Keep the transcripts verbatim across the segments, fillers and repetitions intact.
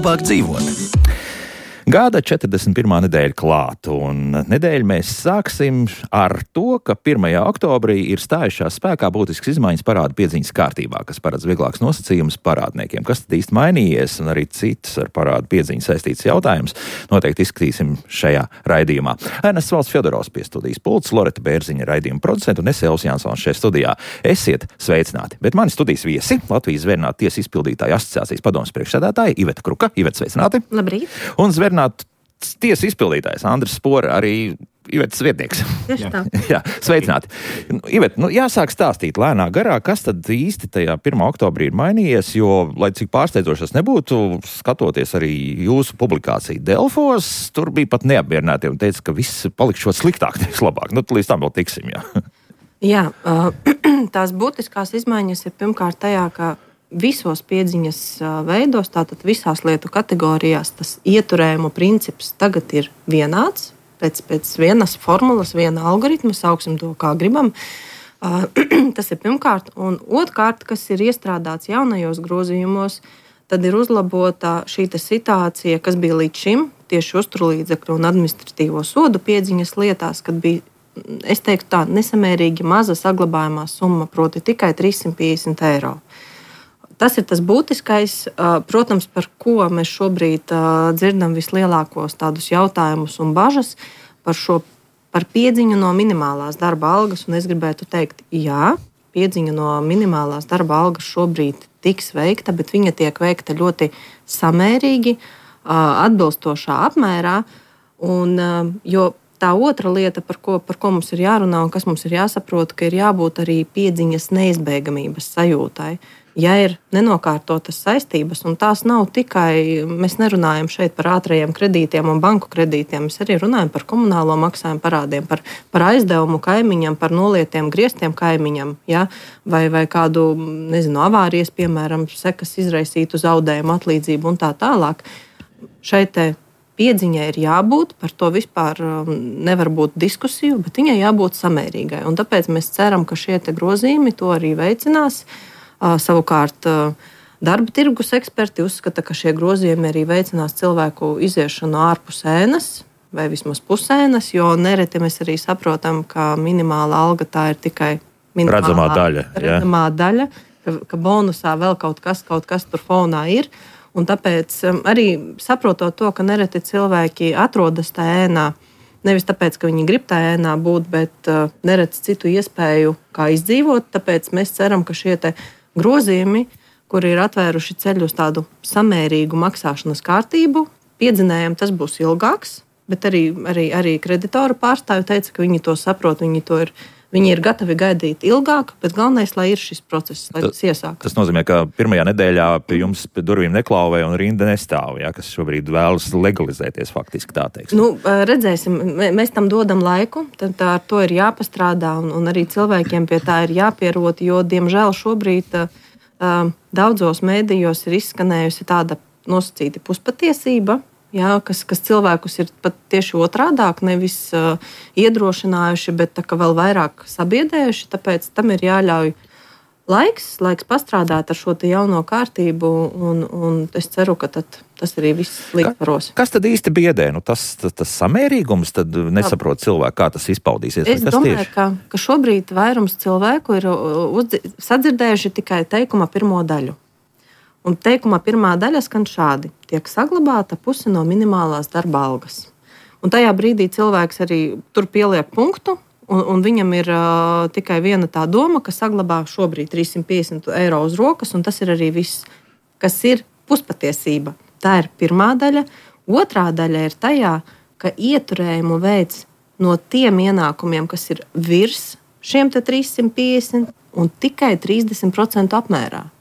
labāk dzīvot. Gada četrdesmit pirmā nedēļa klāt, un nedēļu mēs sāksim ar to, ka pirmajā oktobrī ir stājušās spēkā būtiskas izmaiņas parādu piedziņas kārtībā, kas paredz vieglāks nosacījums parādniekiem. Kas tad īsti mainījies, un arī citas ar parādu piedziņu saistītas jautājumus noteikti izskatīsim šajā raidījumā. Ernests Valds Fjodorovs pie studijas pults, Loreta Bērziņa raidījuma producenta un es Elvis Jansons šajā studijā. Esiet sveicināti, bet mani studijas viesi Latvijas Zvērnātu tiesu izpildītāju asociācijas padomes priekšsēdētāja Iveta Kruka. Iveta, sveicināti! Labrīt! Un Tiesu izpildītājs Andris Spora, arī Ivetas vietnieks. Jā, Jā, sveicināti. Iveta, nu, jāsāk stāstīt lēnā garā, kas tad īsti tajā pirmā oktobrī ir mainījies, jo, lai cik pārsteidzošas nebūtu, skatoties arī jūsu publikāciju Delfos, tur bija pat neapmierināti un teica, ka viss palikšot sliktāk, nevis labāk. Nu, līdz tam vēl tiksim, jā. Jā, tās būtiskās izmaiņas ir pirmkārt tajā, ka visos piedziņas veidos, tātad visās lietu kategorijās, tas ieturējumu princips tagad ir vienāds, pēc, pēc vienas formulas, viena algoritma, sauksim to kā gribam. Tas ir pirmkārt, un otrkārt, kas ir iestrādāts jaunajos grozījumos, tad ir uzlabota šī situācija, kas bija līdz šim, tieši uzturlīdzekļu un administratīvo sodu piedziņas lietās, kad bija, es teiktu tā, nesamērīgi maza saglabājumā summa, proti tikai trīssimt piecdesmit eiro. Tas ir tas būtiskais, protams, par ko mēs šobrīd dzirdam vislielākos tādus jautājumus un bažas par šo par piedziņu no minimālās darba algas. Un es gribētu teikt, jā, piedziņa no minimālās darba algas šobrīd tiks veikta, bet viņa tiek veikta ļoti samērīgi, atbilstošā apmērā. Un, jo tā otra lieta, par ko, par ko mums ir jārunā un kas mums ir jāsaprot, ka ir jābūt arī piedziņas neizbēgamības sajūtai. Ja ir nenokārtotas saistības, un tās nav tikai, mēs nerunājam šeit par ātrajiem kredītiem un banku kredītiem, mēs arī runājam par komunālo maksājumu parādiem, par, par aizdevumu kaimiņam, par nolietiem grieztiem kaimiņam, ja? vai, vai kādu, nezinu, avārijas, piemēram, sekas izraisītu zaudējumu atlīdzību un tā tālāk. Šeit te piedziņai ir jābūt, par to vispār nevar būt diskusiju, bet viņai jābūt samērīgai. Un tāpēc mēs ceram, ka šie te grozījumi to arī veicinās. Savukārt darba tirgus eksperti uzskata, ka šie grozījumi arī veicinās cilvēku iziešanu ārpus ēnas vai vismaz pusēnas, jo nereti mēs arī saprotam, ka minimāla alga tā ir tikai minimālā redzamā daļa, redzamā daļa ka, ka bonusā vēl kaut kas, kaut kas tur fonā ir. Un tāpēc arī saprotot to, ka nereti cilvēki atrodas tā ēnā, nevis tāpēc, ka viņi grib tā ēnā būt, bet neredz citu iespēju, kā izdzīvot. Tāpēc mēs ceram, ka šie te grozījumi, kuri ir atvēruši ceļu uz tādu samērīgu maksāšanas kārtību, piedzinējam tas būs ilgāks, bet arī, arī, arī kreditoru pārstāvi teica, ka viņi to saprot, viņi, to ir, viņi ir gatavi gaidīt ilgāk, bet galvenais, lai ir šis process, lai tas iesākas. Tas nozīmē, ka pirmajā nedēļā pie jums pie durvīm neklauvē un rinda nestāv, ja, kas šobrīd vēlas legalizēties faktiski tā teiks. Nu, redzēsim, mēs tam dodam laiku, tad ar to ir jāpastrādā un, un arī cilvēkiem pie tā ir jāpierot, jo, diemžēl, šobrīd uh, daudzos mēdījos ir izskanējusi tāda nosacīta puspatiesība, jā, kas, kas cilvēkus ir pat tieši otrādāk, nevis uh, iedrošinājuši, bet tā kā vēl vairāk sabiedējuši, tāpēc tam ir jāļauj laiks, laiks pastrādāt ar šo te jauno kārtību, un, un es ceru, ka tad, tas arī viss līdzvaros. Ka, kas tad īsti biedē? Nu, tas, tas, tas samērīgums, tad nesaprot cilvēku, kā tas izpaudīsies? Es domāju, ka, ka šobrīd vairums cilvēku ir uzdzi, sadzirdējuši tikai teikuma pirmo daļu. Un teikuma pirmā daļa skan šādi: tiek saglabāta puse no minimālās darba algas. Un tajā brīdī cilvēks arī tur pieliek punktu, un, un viņam ir uh, tikai viena tā doma, ka saglabā šobrīd trīssimt piecdesmit eiro uz rokas, un tas ir arī viss, kas ir puspatiesība. Tā ir pirmā daļa. Otrā daļa ir tajā, ka ieturējumu veids no tiem ienākumiem, kas ir virs šiem te trīssimt piecdesmit un tikai trīsdesmit procentu apmērā.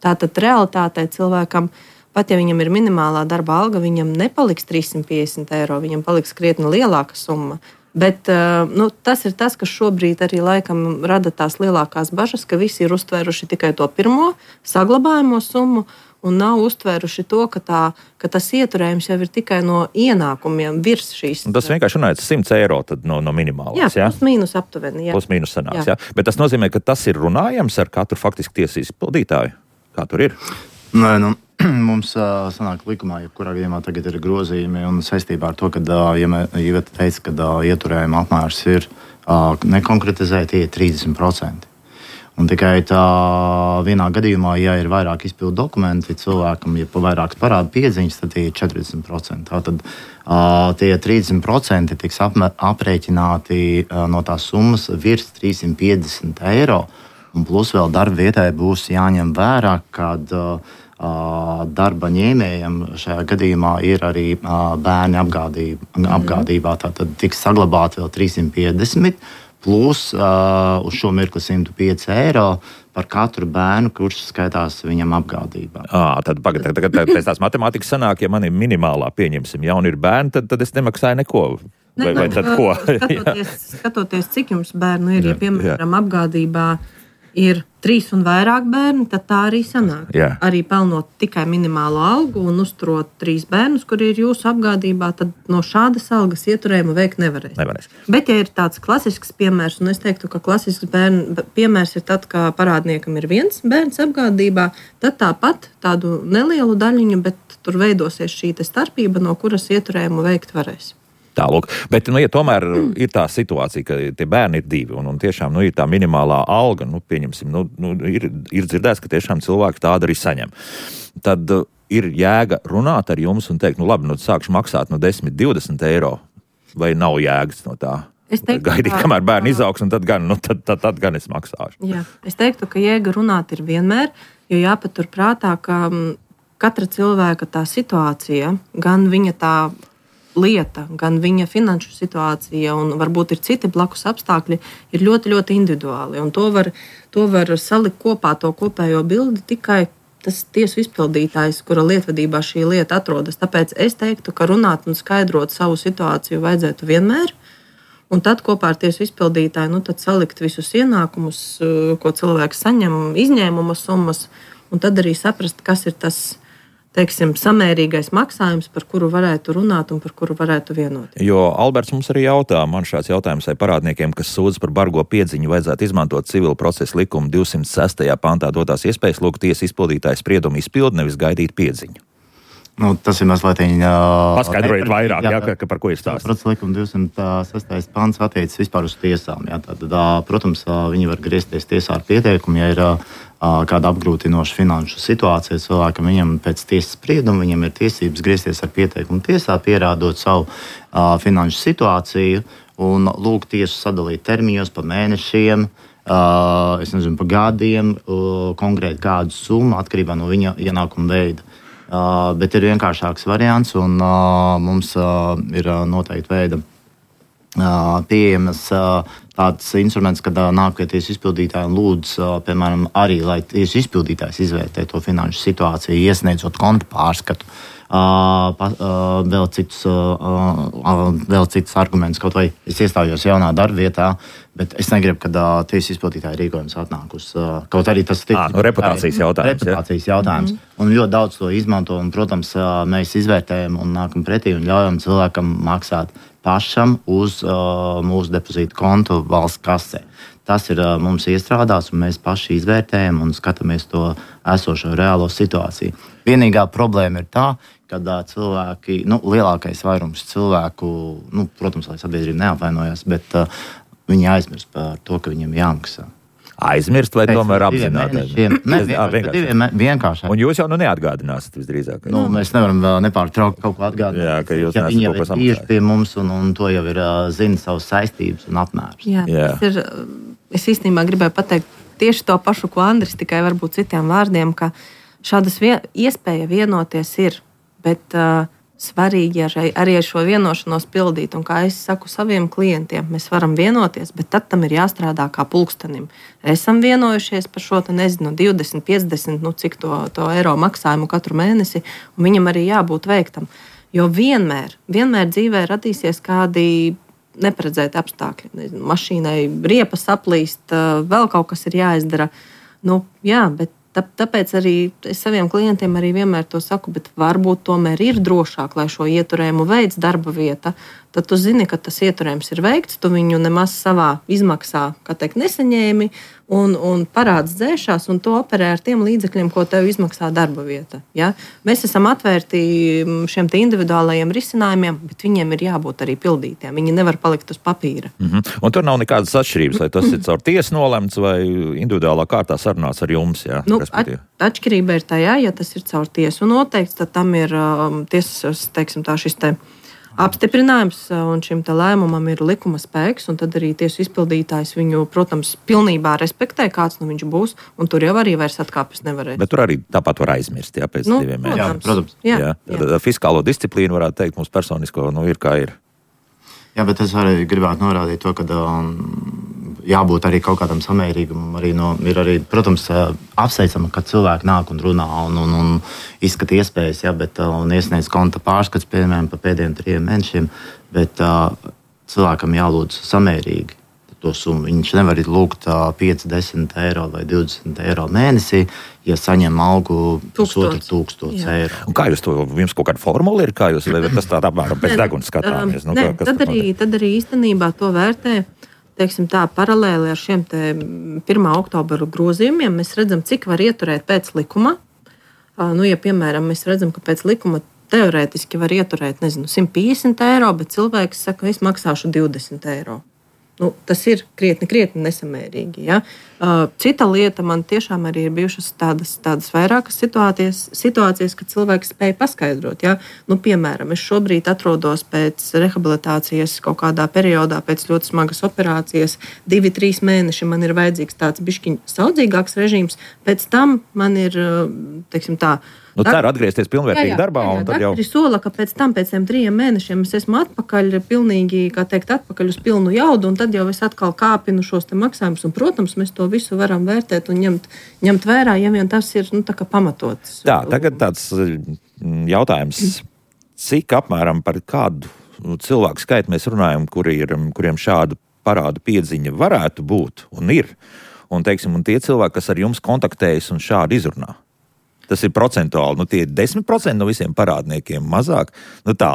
Tātad realitātē cilvēkam, pat ja viņam ir minimālā darba alga, viņam nepaliks trīssimt piecdesmit eiro, viņam paliks krietni lielāka summa. Bet nu, tas ir tas, kas šobrīd arī laikam rada tās lielākās bažas, ka visi ir uztvēruši tikai to pirmo saglabājamo summu un nav uztvēruši to, ka, tā, ka tas ieturējums jau ir tikai no ienākumiem virs šīs. Un tas vienkārši runājot simts eiro tad no, no minimālās. Jā, jā? Plus mīnus aptuveni. Jā. Plus mīnus sanāks, jā. Jā. Bet tas nozīmē, ka tas ir runājams ar katru faktiski tiesības pildītāju. Kā tur ir? Nē, nu, mums uh, sanāk likumā, ja kurā gadījumā tagad ir grozījumi un saistībā ar to, ka uh, ja Iveta teica, ka uh, ieturējuma apmērs ir uh, nekonkretizēti, ir trīsdesmit procenti. Un tikai tā vienā gadījumā, ja ir vairāk izpildu dokumenti cilvēkam, ja pa vairākas parāda piedziņas, tad tie ir četrdesmit procenti. Tātad uh, tie trīsdesmit procenti tiks apme, aprēķināti uh, no tās summas virs trīssimt piecdesmit eiro. Un plus vēl darba vietai būs jāņem vērā, kad uh, darba ņēmējiem šajā gadījumā ir arī uh, bērni apgādība, apgādībā. Tātad tiks saglabāti vēl trīssimt piecdesmit. Plus uh, uz šo mirkli simt pieci eiro par katru bērnu, kurš skaitās viņam apgādībā. À, tad pagad, tagad pēc tās matemātikas sanāk, ja man ir minimālā, pieņemsim, ja un ir bērni, tad, tad es nemaksāju neko. Vai, ne, vai tad ko? skatoties, skatoties, cik jums bērnu ir, ja piemēram apgādībā ir trīs un vairāk bērni, tad tā arī sanāk. Jā. Arī pelnot tikai minimālo algu un uzturot trīs bērnus, kuri ir jūsu apgādībā, tad no šādas algas ieturējumu veikt nevarēs. Nevarēs. Bet, ja ir tāds klasisks piemērs, un es teiktu, ka klasisks bērn, piemērs ir tad, ka parādniekam ir viens bērns apgādībā, tad tāpat tādu nelielu daļiņu, bet tur veidosies šī starpība, no kuras ieturējumu veikt varēs. Tālūk. Bet, nu, ja tomēr ir tā situācija, ka tie bērni ir divi, un, un tiešām nu, ir tā minimālā alga, nu, pieņemsim, nu, nu, ir, ir dzirdēts, ka tiešām cilvēki tādu arī saņem. Tad uh, ir jēga runāt ar jums un teikt, nu, labi, nu, sākšu maksāt no desmit, divdesmit eiro, vai nav jēgas no tā? Es teiktu, gaidīt, kamēr bērni izaugs, un tad gan, nu, tad, tad, tad gan es maksāšu. Jā, es teiktu, ka jēga runāt ir vienmēr, jo jāpatur prātā, ka katra cilvēka tā situācija, gan viņa tā lieta, gan viņa finanšu situācija un varbūt ir citi blakus apstākļi, ir ļoti, ļoti individuāli. Un to var, to var salikt kopā, to kopējo bildi tikai tas tiesu izpildītājs, kura lietvedībā šī lieta atrodas. Tāpēc es teiktu, ka runāt un skaidrot savu situāciju vajadzētu vienmēr. Un tad kopā ar tiesu izpildītāju nu, tad salikt visus ienākumus, ko cilvēks saņem, izņēmuma summas, un tad arī saprast, kas ir tas teiksim, samērīgais maksājums, par kuru varētu runāt un par kuru varētu vienoties. Jo Alberts mums arī jautā, man šāds jautājums vai parādniekiem, kas sūdz par bargo piedziņu, vajadzētu izmantot civila procesa likuma divsimt sestajā pantā dotās iespējas lūgt tiesas izpildītāju spriedumu izpildi, nevis gaidīt piedziņu. Nu, tas ir mazliet viņa... Paskaidrojiet vairāk, jā, ka, ka par ko ir stāsts. Procesa likuma divsimt sestais pants attiecas vispār uz tiesām. Jā, tad, protams, viņi var griezties tiesā ar pieteikumu, ja ir kāda apgrūtinoša finanšu situācija cilvēkam, viņam pēc tiesas sprieduma, viņam ir tiesības griezties ar pieteikumu tiesā, pierādot savu uh, finanšu situāciju un lūgt tiesu sadalīt termiņos pa mēnešiem, uh, es nezinu, pa gadiem, uh, konkrēti kādu summu atkarībā no viņa ienākuma veida. Uh, bet ir vienkāršāks variants, un uh, mums uh, ir uh, noteikti veida uh, pieejamas uh, tāds instruments, kad uh, nāk pie tiesas izpildītāja un lūdz, uh, piemēram, arī, lai tiesas izpildītājs izvērtē to finanšu situāciju, iesniedzot konta pārskatu. Uh, pa, uh, vēl, citus, uh, uh, vēl citus argumentus, kaut vai es iestājos jaunā darbvietā, bet es negribu, kad uh, tiesas izpildītāja rīkojums atnāk uz uh, kaut arī tas à, no reputācijas jautājums. Reputācijas ja? jautājums. Mm-hmm. Un ļoti daudz to izmanto, un, protams, uh, mēs izvērtējam un nākam pretī un ļaujam cilvēkam maksāt pašam uz uh, mūsu depozītu kontu valsts kasē. Tas ir uh, mums iestrādās, un mēs paši izvērtējam un skatāmies to esošo reālo situāciju. Vienīgā problēma ir tā, kad uh, cilvēki, nu, lielākais vairums cilvēku, nu, protams, lai sabiedrība neapvainojas, bet uh, viņi aizmirst par to, ka viņiem jāmaksā. Aizmirst vai tomēr apzināti? Nē, vienkārši. vienkārši. Un jūs jau nu neatgādināsiet visdrīzāk. Nu, mēs nevaram nepārtraukt kaut ko atgādināt. Jā, ka jūs ja nesat viņi kaut ko jau ir samaksājis. tieši pie mums, un, un to jau ir zina savas saistības un apmērs. Jā, Jā. tas ir, es īstenībā gribēju pateikt tieši to pašu, ko Andris, tikai varbūt citiem vārdiem, ka šādas vien, iespēja vienoties ir, bet uh, svarīgi arī, arī ar šo vienošanos pildīt. Un kā es saku saviem klientiem, mēs varam vienoties, bet tad tam ir jāstrādā kā pulkstenim. Esam vienojušies par šo, te, nezinu, divdesmit, piecdesmit, nu, cik to, to eiro maksājumu katru mēnesi, un viņam arī jābūt veiktam. Jo vienmēr, vienmēr dzīvē radīsies kādi neparedzēti apstākļi. Nezinu, mašīnai riepa saplīst, vēl kaut kas ir jāizdara. Nu, jā, bet tāpēc arī es saviem klientiem arī vienmēr to saku, bet varbūt tomēr ir drošāk, lai šo ieturējumu veids darba vieta. Tad tu zini, ka tas ieturējums ir veikts, tu viņu nemaz savā izmaksā, kā teikt, nesaņēmi, un, un parāds dzēšās, un to operē ar tiem līdzekļiem, ko tev izmaksā darba vieta. Ja? Mēs esam atvērti šiem individuālajiem risinājumiem, bet viņiem ir jābūt arī pildītiem. Viņi nevar palikt uz papīra. Mm-hmm. Un tur nav nekādas atšķirības, vai tas ir caur tiesu nolemts vai individuālā kārtā sarunāts ar jums. Ja? Nu, at, atšķirība ir tajā, ja tas ir caur tiesu noteikts, tad tam ir um, tiesas, teiksim tā, šis te apstiprinājums, un šim te lēmumam ir likuma spēks, un tad arī tiesu izpildītājs viņu, protams, pilnībā respektē, kāds nu viņš būs, un tur jau arī vairs atkāpes nevarēs. Bet tur arī tāpat var aizmirst, jā, pēc nu, diviem mēnešiem. Jā, protams. Jā, jā. Jā. Fiskālo disciplīnu varētu teikt mums personisko, nu ir kā ir. Jā, bet es arī gribētu norādīt to, ka um, jābūt arī kaut kādam samērīgumam. Arī no, ir arī, protams, apsveicama, ka cilvēki nāk un runā un, un, un izskata iespējas, ja, bet, un iesniedz konta pārskats, piemēram, pa pēdējiem trijiem mēnešiem, bet uh, cilvēkam jālūdz samērīgi to summu. Viņš nevar lūgt uh, pieci, desmit eiro vai divdesmit eiro mēnesī, ja saņem algu pusotru tūkstošu eiro. Un kā jūs to, jums kaut kāda formula ir, kā jūs, vai tas tāda apmēram pēc degunas skatāmies? Nu, Nē, kā, tad, arī, tad arī īstenībā to vērtē, teiksim tā, paralēli ar šiem te pirmā oktobra grozījumiem. Mēs redzam, cik var ieturēt pēc likuma. Nu, ja, piemēram, mēs redzam, ka pēc likuma teorētiski var ieturēt, nezinu, simt piecdesmit eiro, bet cilvēks saka, es maksāšu divdesmit eiro. Nu, tas ir krietni, krietni nesamērīgi. Ja? Cita lieta, man tiešām arī ir bijušas tādas, tādas vairākas situācijas, situācijas, kad cilvēks spēja paskaidrot. Ja? Nu, piemēram, es šobrīd atrodos pēc rehabilitācijas kaut kādā periodā, pēc ļoti smagas operācijas, divi, trīs mēneši man ir vajadzīgs tāds bišķiņ saudzīgāks režīms, pēc tam man ir, teiksim tā, Nu, ceru atgriezties pilnvērtīgi jā, jā, darbā. Jā, jā, jau... sola, ka pēc tam, pēc tiem trījiem mēnešiem es esmu atpakaļ, pilnīgi, kā teikt, atpakaļ uz pilnu jaudu, un tad jau es atkal kāpinu šos te maksājumus, un, protams, mēs to visu varam vērtēt un ņemt, ņemt vērā, ja vien tas ir, nu, tā kā pamatots. Tā, tagad tāds jautājums, cik apmēram par kādu cilvēku skaitu mēs runājam, kuri ir, kuriem šādu parādu piedziņa varētu būt un ir, un, teiksim, un tie cilvēki, kas ar jums kontaktējas un šādi izrunā. Tas ir procentuāli, nu tie ir desmit procenti no visiem parādniekiem, mazāk. Nu tā.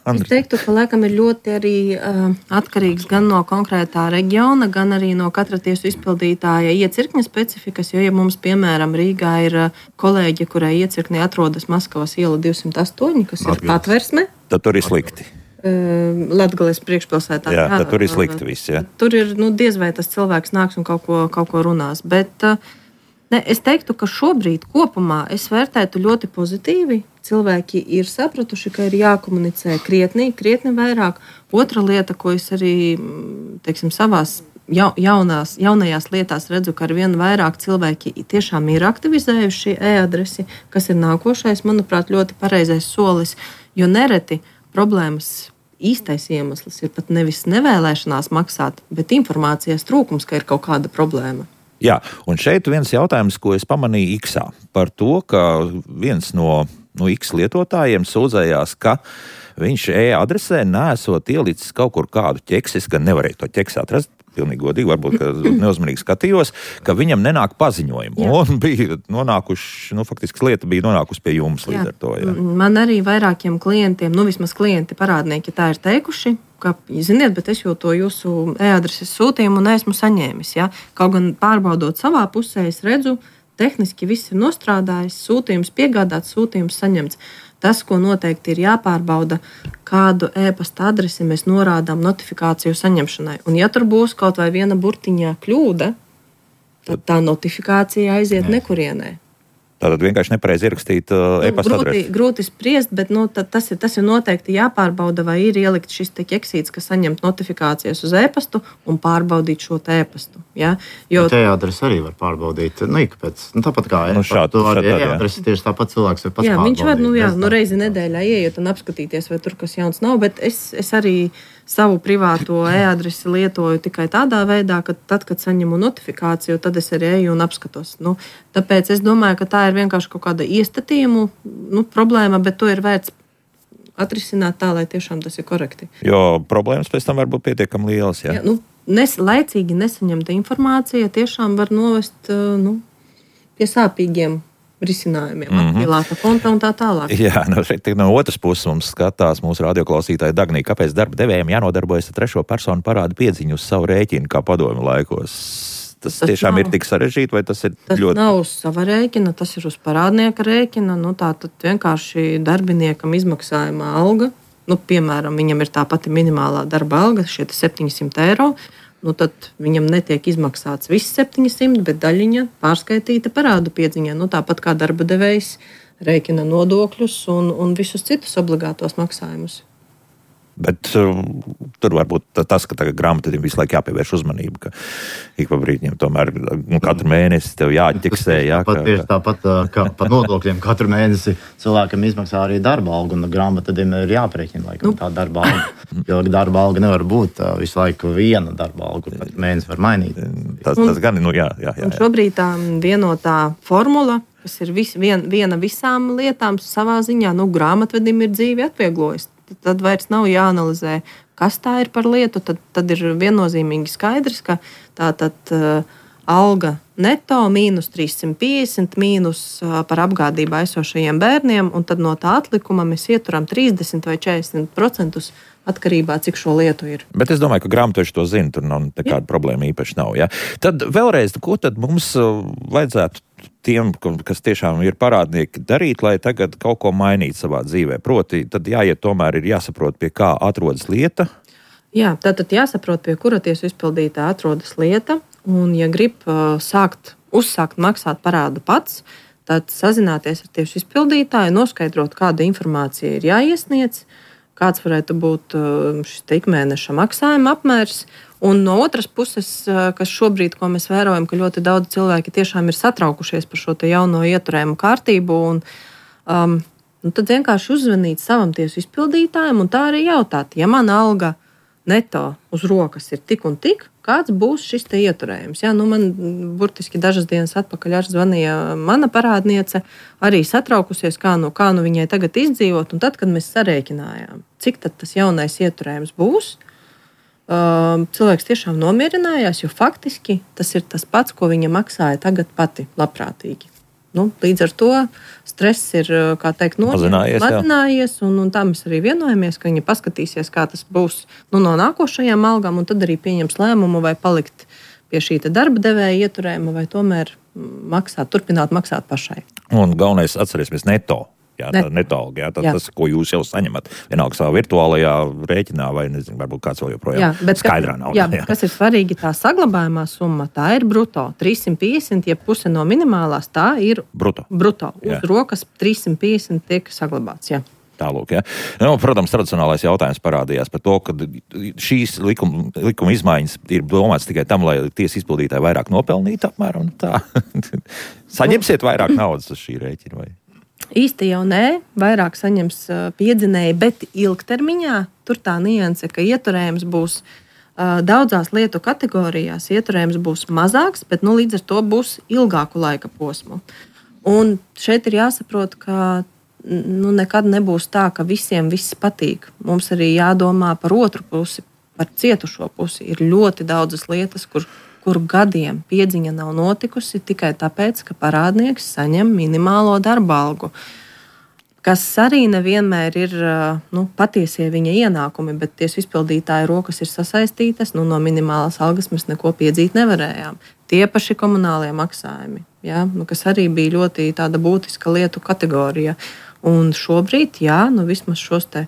Es teiktu, ka laikam ir ļoti arī uh, atkarīgs gan no konkrētā reģiona, gan arī no katra tiesu izpildītāja iecirkņa specifikas, jo, ja mums, piemēram, Rīgā ir uh, kolēģi, kurai iecirknī atrodas Maskavas iela divsimt astoņi, kas ir patversme. Tad tur ir slikti. Uh, Latgales priekšpilsētā. Jā, tad tur ir slikti viss, jā. Tur ir, nu, diez vai tas cilvēks nāks un kaut ko, kaut ko runās, bet... Uh, Ne, es teiktu, ka šobrīd kopumā es vērtētu ļoti pozitīvi. Cilvēki ir sapratuši, ka ir jākomunicē krietni, krietni vairāk. Otra lieta, ko es arī, teiksim, savās jaunās, jaunajās lietās redzu, ka ar vien vairāk cilvēki tiešām ir aktivizējuši e-adresi, kas ir nākošais, manuprāt, ļoti pareizais solis, jo nereti problēmas īstais iemesls ir pat nevis nevēlēšanās maksāt, bet informācijas trūkums, ka ir kaut kāda problēma. Jā, un šeit viens jautājums, ko es pamanīju X-ā, par to, ka viens no, no X lietotājiem sūdzējās, ka viņš e-adresē nesot ielicis kaut kur kādu ķeksi, es gan nevarēju to ķeksi atrast, pilnīgi godīgi, varbūt, ka neuzmanīgi skatījos, ka viņam nenāk paziņojumu. Jā. Un bija nonākuši, nu, faktiski lieta bija nonākusi pie jums līdz ar to. Jā. Man arī vairākiem klientiem, nu, vismaz klienti parādnieki tā ir teikuši, ka, ziniet, bet es jau to jūsu e-adreses sūtījumu neesmu saņēmis. Ja? Kaut gan pārbaudot savā pusē, es redzu, tehniski viss ir nostrādājis, sūtījums piegādāts, sūtījums saņemts. Tas, ko noteikti ir jāpārbauda, kādu e-pasta adresi mēs norādām notifikāciju saņemšanai. Un ja tur būs kaut vai viena burtiņā kļūda, tad tā notifikācija aiziet Nē. nekurienē. Tātad vienkārši nepareizi ierakstīt uh, e-pasta adresi. Grūti, grūti spriest, bet nu, tas, ir, tas ir noteikti jāpārbauda, vai ir ielikt šis te ķeksīts, kas saņemt notifikācijas uz e-pastu un pārbaudīt šo te e-pastu. Ja? Jo te adresi arī var pārbaudīt. Nu, ikpēc, nu, tāpat kā nu, šād, to arī šād, e-adresi tieši tāpat cilvēks var pats jā, pārbaudīt. Viņš var, nu jā, nu reizi nedēļā ieiet un apskatīties, vai tur kas jauns nav, bet es, es arī savu privāto e-adresi lietoju tikai tādā veidā, ka tad, kad saņemu notifikāciju, tad es arī eju un apskatos. Nu, tāpēc es domāju, ka tā ir vienkārši kaut kāda iestatījumu nu, problēma, bet to ir vērts atrisināt tā, lai tiešām tas ir korekti. Jo problēmas pēc tam var būt pietiekami lielas. Jā? Jā, nu, nes, laicīgi nesaņemta informācija tiešām var novest nu, pie sāpīgiem risinājumiem, mm-hmm. apvilāta konta un tā tālāk. Jā, no, šeit no otras puses mums skatās mūsu radioklausītāji Dagnī, kāpēc darba devējiem jānodarbojas ar trešo personu parādu piedziņu uz savu rēķinu, kā padomju laikos. tas, tas tiešām nav, ir tik sarežģīti, vai tas ir tas ļoti... Tas nav uz sava rēķina, tas ir uz parādnieka rēķina. Nu, tā tad vienkārši darbiniekam izmaksājumā alga, nu, piemēram, viņam ir tā pati minimālā darba alga, šie septiņsimt eiro, nu, tad viņam netiek izmaksāts viss septiņsimt, bet daļiņa pārskaitīta parādu piedziņā. Nu, tāpat kā darba devējs rēķina nodokļus un, un visus citus obligātos maksājumus. Bet um, tur varbūt tas, ka tagad grāmatvediem visu laiku jāpievērš uzmanību, ka ik pa brīdiem tomēr nu, katru mēnesi tev jāatķiksē. Jā, tāpat, ka, tāpat kā par nodokļiem katru mēnesi cilvēkam izmaksā arī darba algu, un grāmatvediem ir jāprēķina laikam nu. tā darba alga. Jo darba alga nevar būt visu laiku viena darba alga, pat mēnesi var mainīt. Tas, tas gan, nu jā, jā, jā. Un šobrīd tā vienotā formula, kas ir vis, vien, viena visām lietām savā ziņā, nu, grāmatvedim ir dzīvi atvieglojusi. Tad vairs nav jāanalizē, kas tā ir par lietu. Tad, tad ir viennozīmīgi skaidrs, ka tā tad uh, alga neto mīnus trīssimt piecdesmit mīnus uh, par apgādību aizsošajiem bērniem, un tad no tā atlikuma mēs ieturam trīsdesmit vai četrdesmit procentus atkarībā, cik šo lietu ir. Bet es domāju, ka grāmatveži to zina, tur nav nekāda problēma īpaši nav. Ja? Tad vēlreiz, ko tad mums uh, vajadzētu tiem, kas tiešām ir parādnieki, darīt, lai tagad kaut ko mainītu savā dzīvē? Proti, tad jāiet tomēr ir jāsaprot, pie kā atrodas lieta. Jā, tātad jāsaprot, pie kura tiesu izpildītā atrodas lieta, un ja grib uh, sākt, uzsākt maksāt parādu pats, tad sazināties ar tiesu izpildītāju, noskaidrot, kāda informācija ir jāiesniedz, kāds varētu būt uh, šis ikmēneša maksājuma apmērs. Un no otras puses, kas šobrīd, ko mēs vērojam, ka ļoti daudz cilvēki tiešām ir satraukušies par šo jauno ieturējumu kārtību, un um, nu tad vienkārši uzzvanīt savam tiesu izpildītājam un tā arī jautāt, ja mana alga neto uz rokas ir tik un tik, kāds būs šis te ieturējums. Jā, nu man burtiski dažas dienas atpakaļ arī zvanīja mana parādniece, arī satraukusies, kā nu, kā nu viņai tagad izdzīvot, un tad, kad mēs sarēķinājām, cik tad tas jaunais ieturējums būs, cilvēks tiešām nomierinājās, jo faktiski tas ir tas pats, ko viņa maksāja tagad pati labprātīgi. Nu, līdz ar to stress ir, kā teikt, mazinājies, mazinājies un, un tā mēs arī vienojamies, ka viņa paskatīsies, kā tas būs nu, no nākošajām algām, un tad arī pieņems lēmumu, vai palikt pie šī darba devēja ieturējuma, vai tomēr maksāt, turpināt maksāt pašai. Un galvenais atcerēsimies neto. Jā, tā neto alga, jā, tā, jā. Tas, ko jūs jau saņemat, vienalga savā virtuālajā rēķinā, vai nezinu, varbūt kāds vēl joprojām jā, bet, skaidrā naudā. Jā, bet kas ir svarīgi, tā saglabājumā summa, tā ir bruto. trīssimt piecdesmit, ja puse no minimālās, tā ir bruto. bruto. Uz jā. rokas trīssimt piecdesmit tiek saglabāts, jā. Tālūk, ja. Nu, protams, tradicionālais jautājums parādījās par to, ka šīs likuma, likuma izmaiņas ir domāts tikai tam, lai tiesa izpildītāji vairāk nopelnītu apmēram tā. Saņemsiet vairāk naudas uz šī rēķina vai? Īsti jau nē, vairāk saņems piedzinēji, bet ilgtermiņā tur tā nianse, ka ieturējums būs uh, daudzās lietu kategorijās, ieturējums būs mazāks, bet nu, līdz ar to būs ilgāku laika posmu. Un šeit ir jāsaprot, ka nu, nekad nebūs tā, ka visiem viss patīk. Mums arī jādomā par otru pusi, par cietušo pusi. Ir ļoti daudzas lietas, kur kur gadiem piedziņa nav notikusi tikai tāpēc, ka parādnieks saņem minimālo darba algu, kas arī nevienmēr ir nu, patiesie viņa ienākumi, bet tiesu izpildītāja rokas ir sasaistītas, nu, no minimālās algas mēs neko piedzīt nevarējām. Tie paši komunālie maksājumi, ja, nu, kas arī bija ļoti tāda būtiska lietu kategorija. Un šobrīd, jā, nu, vismaz šos te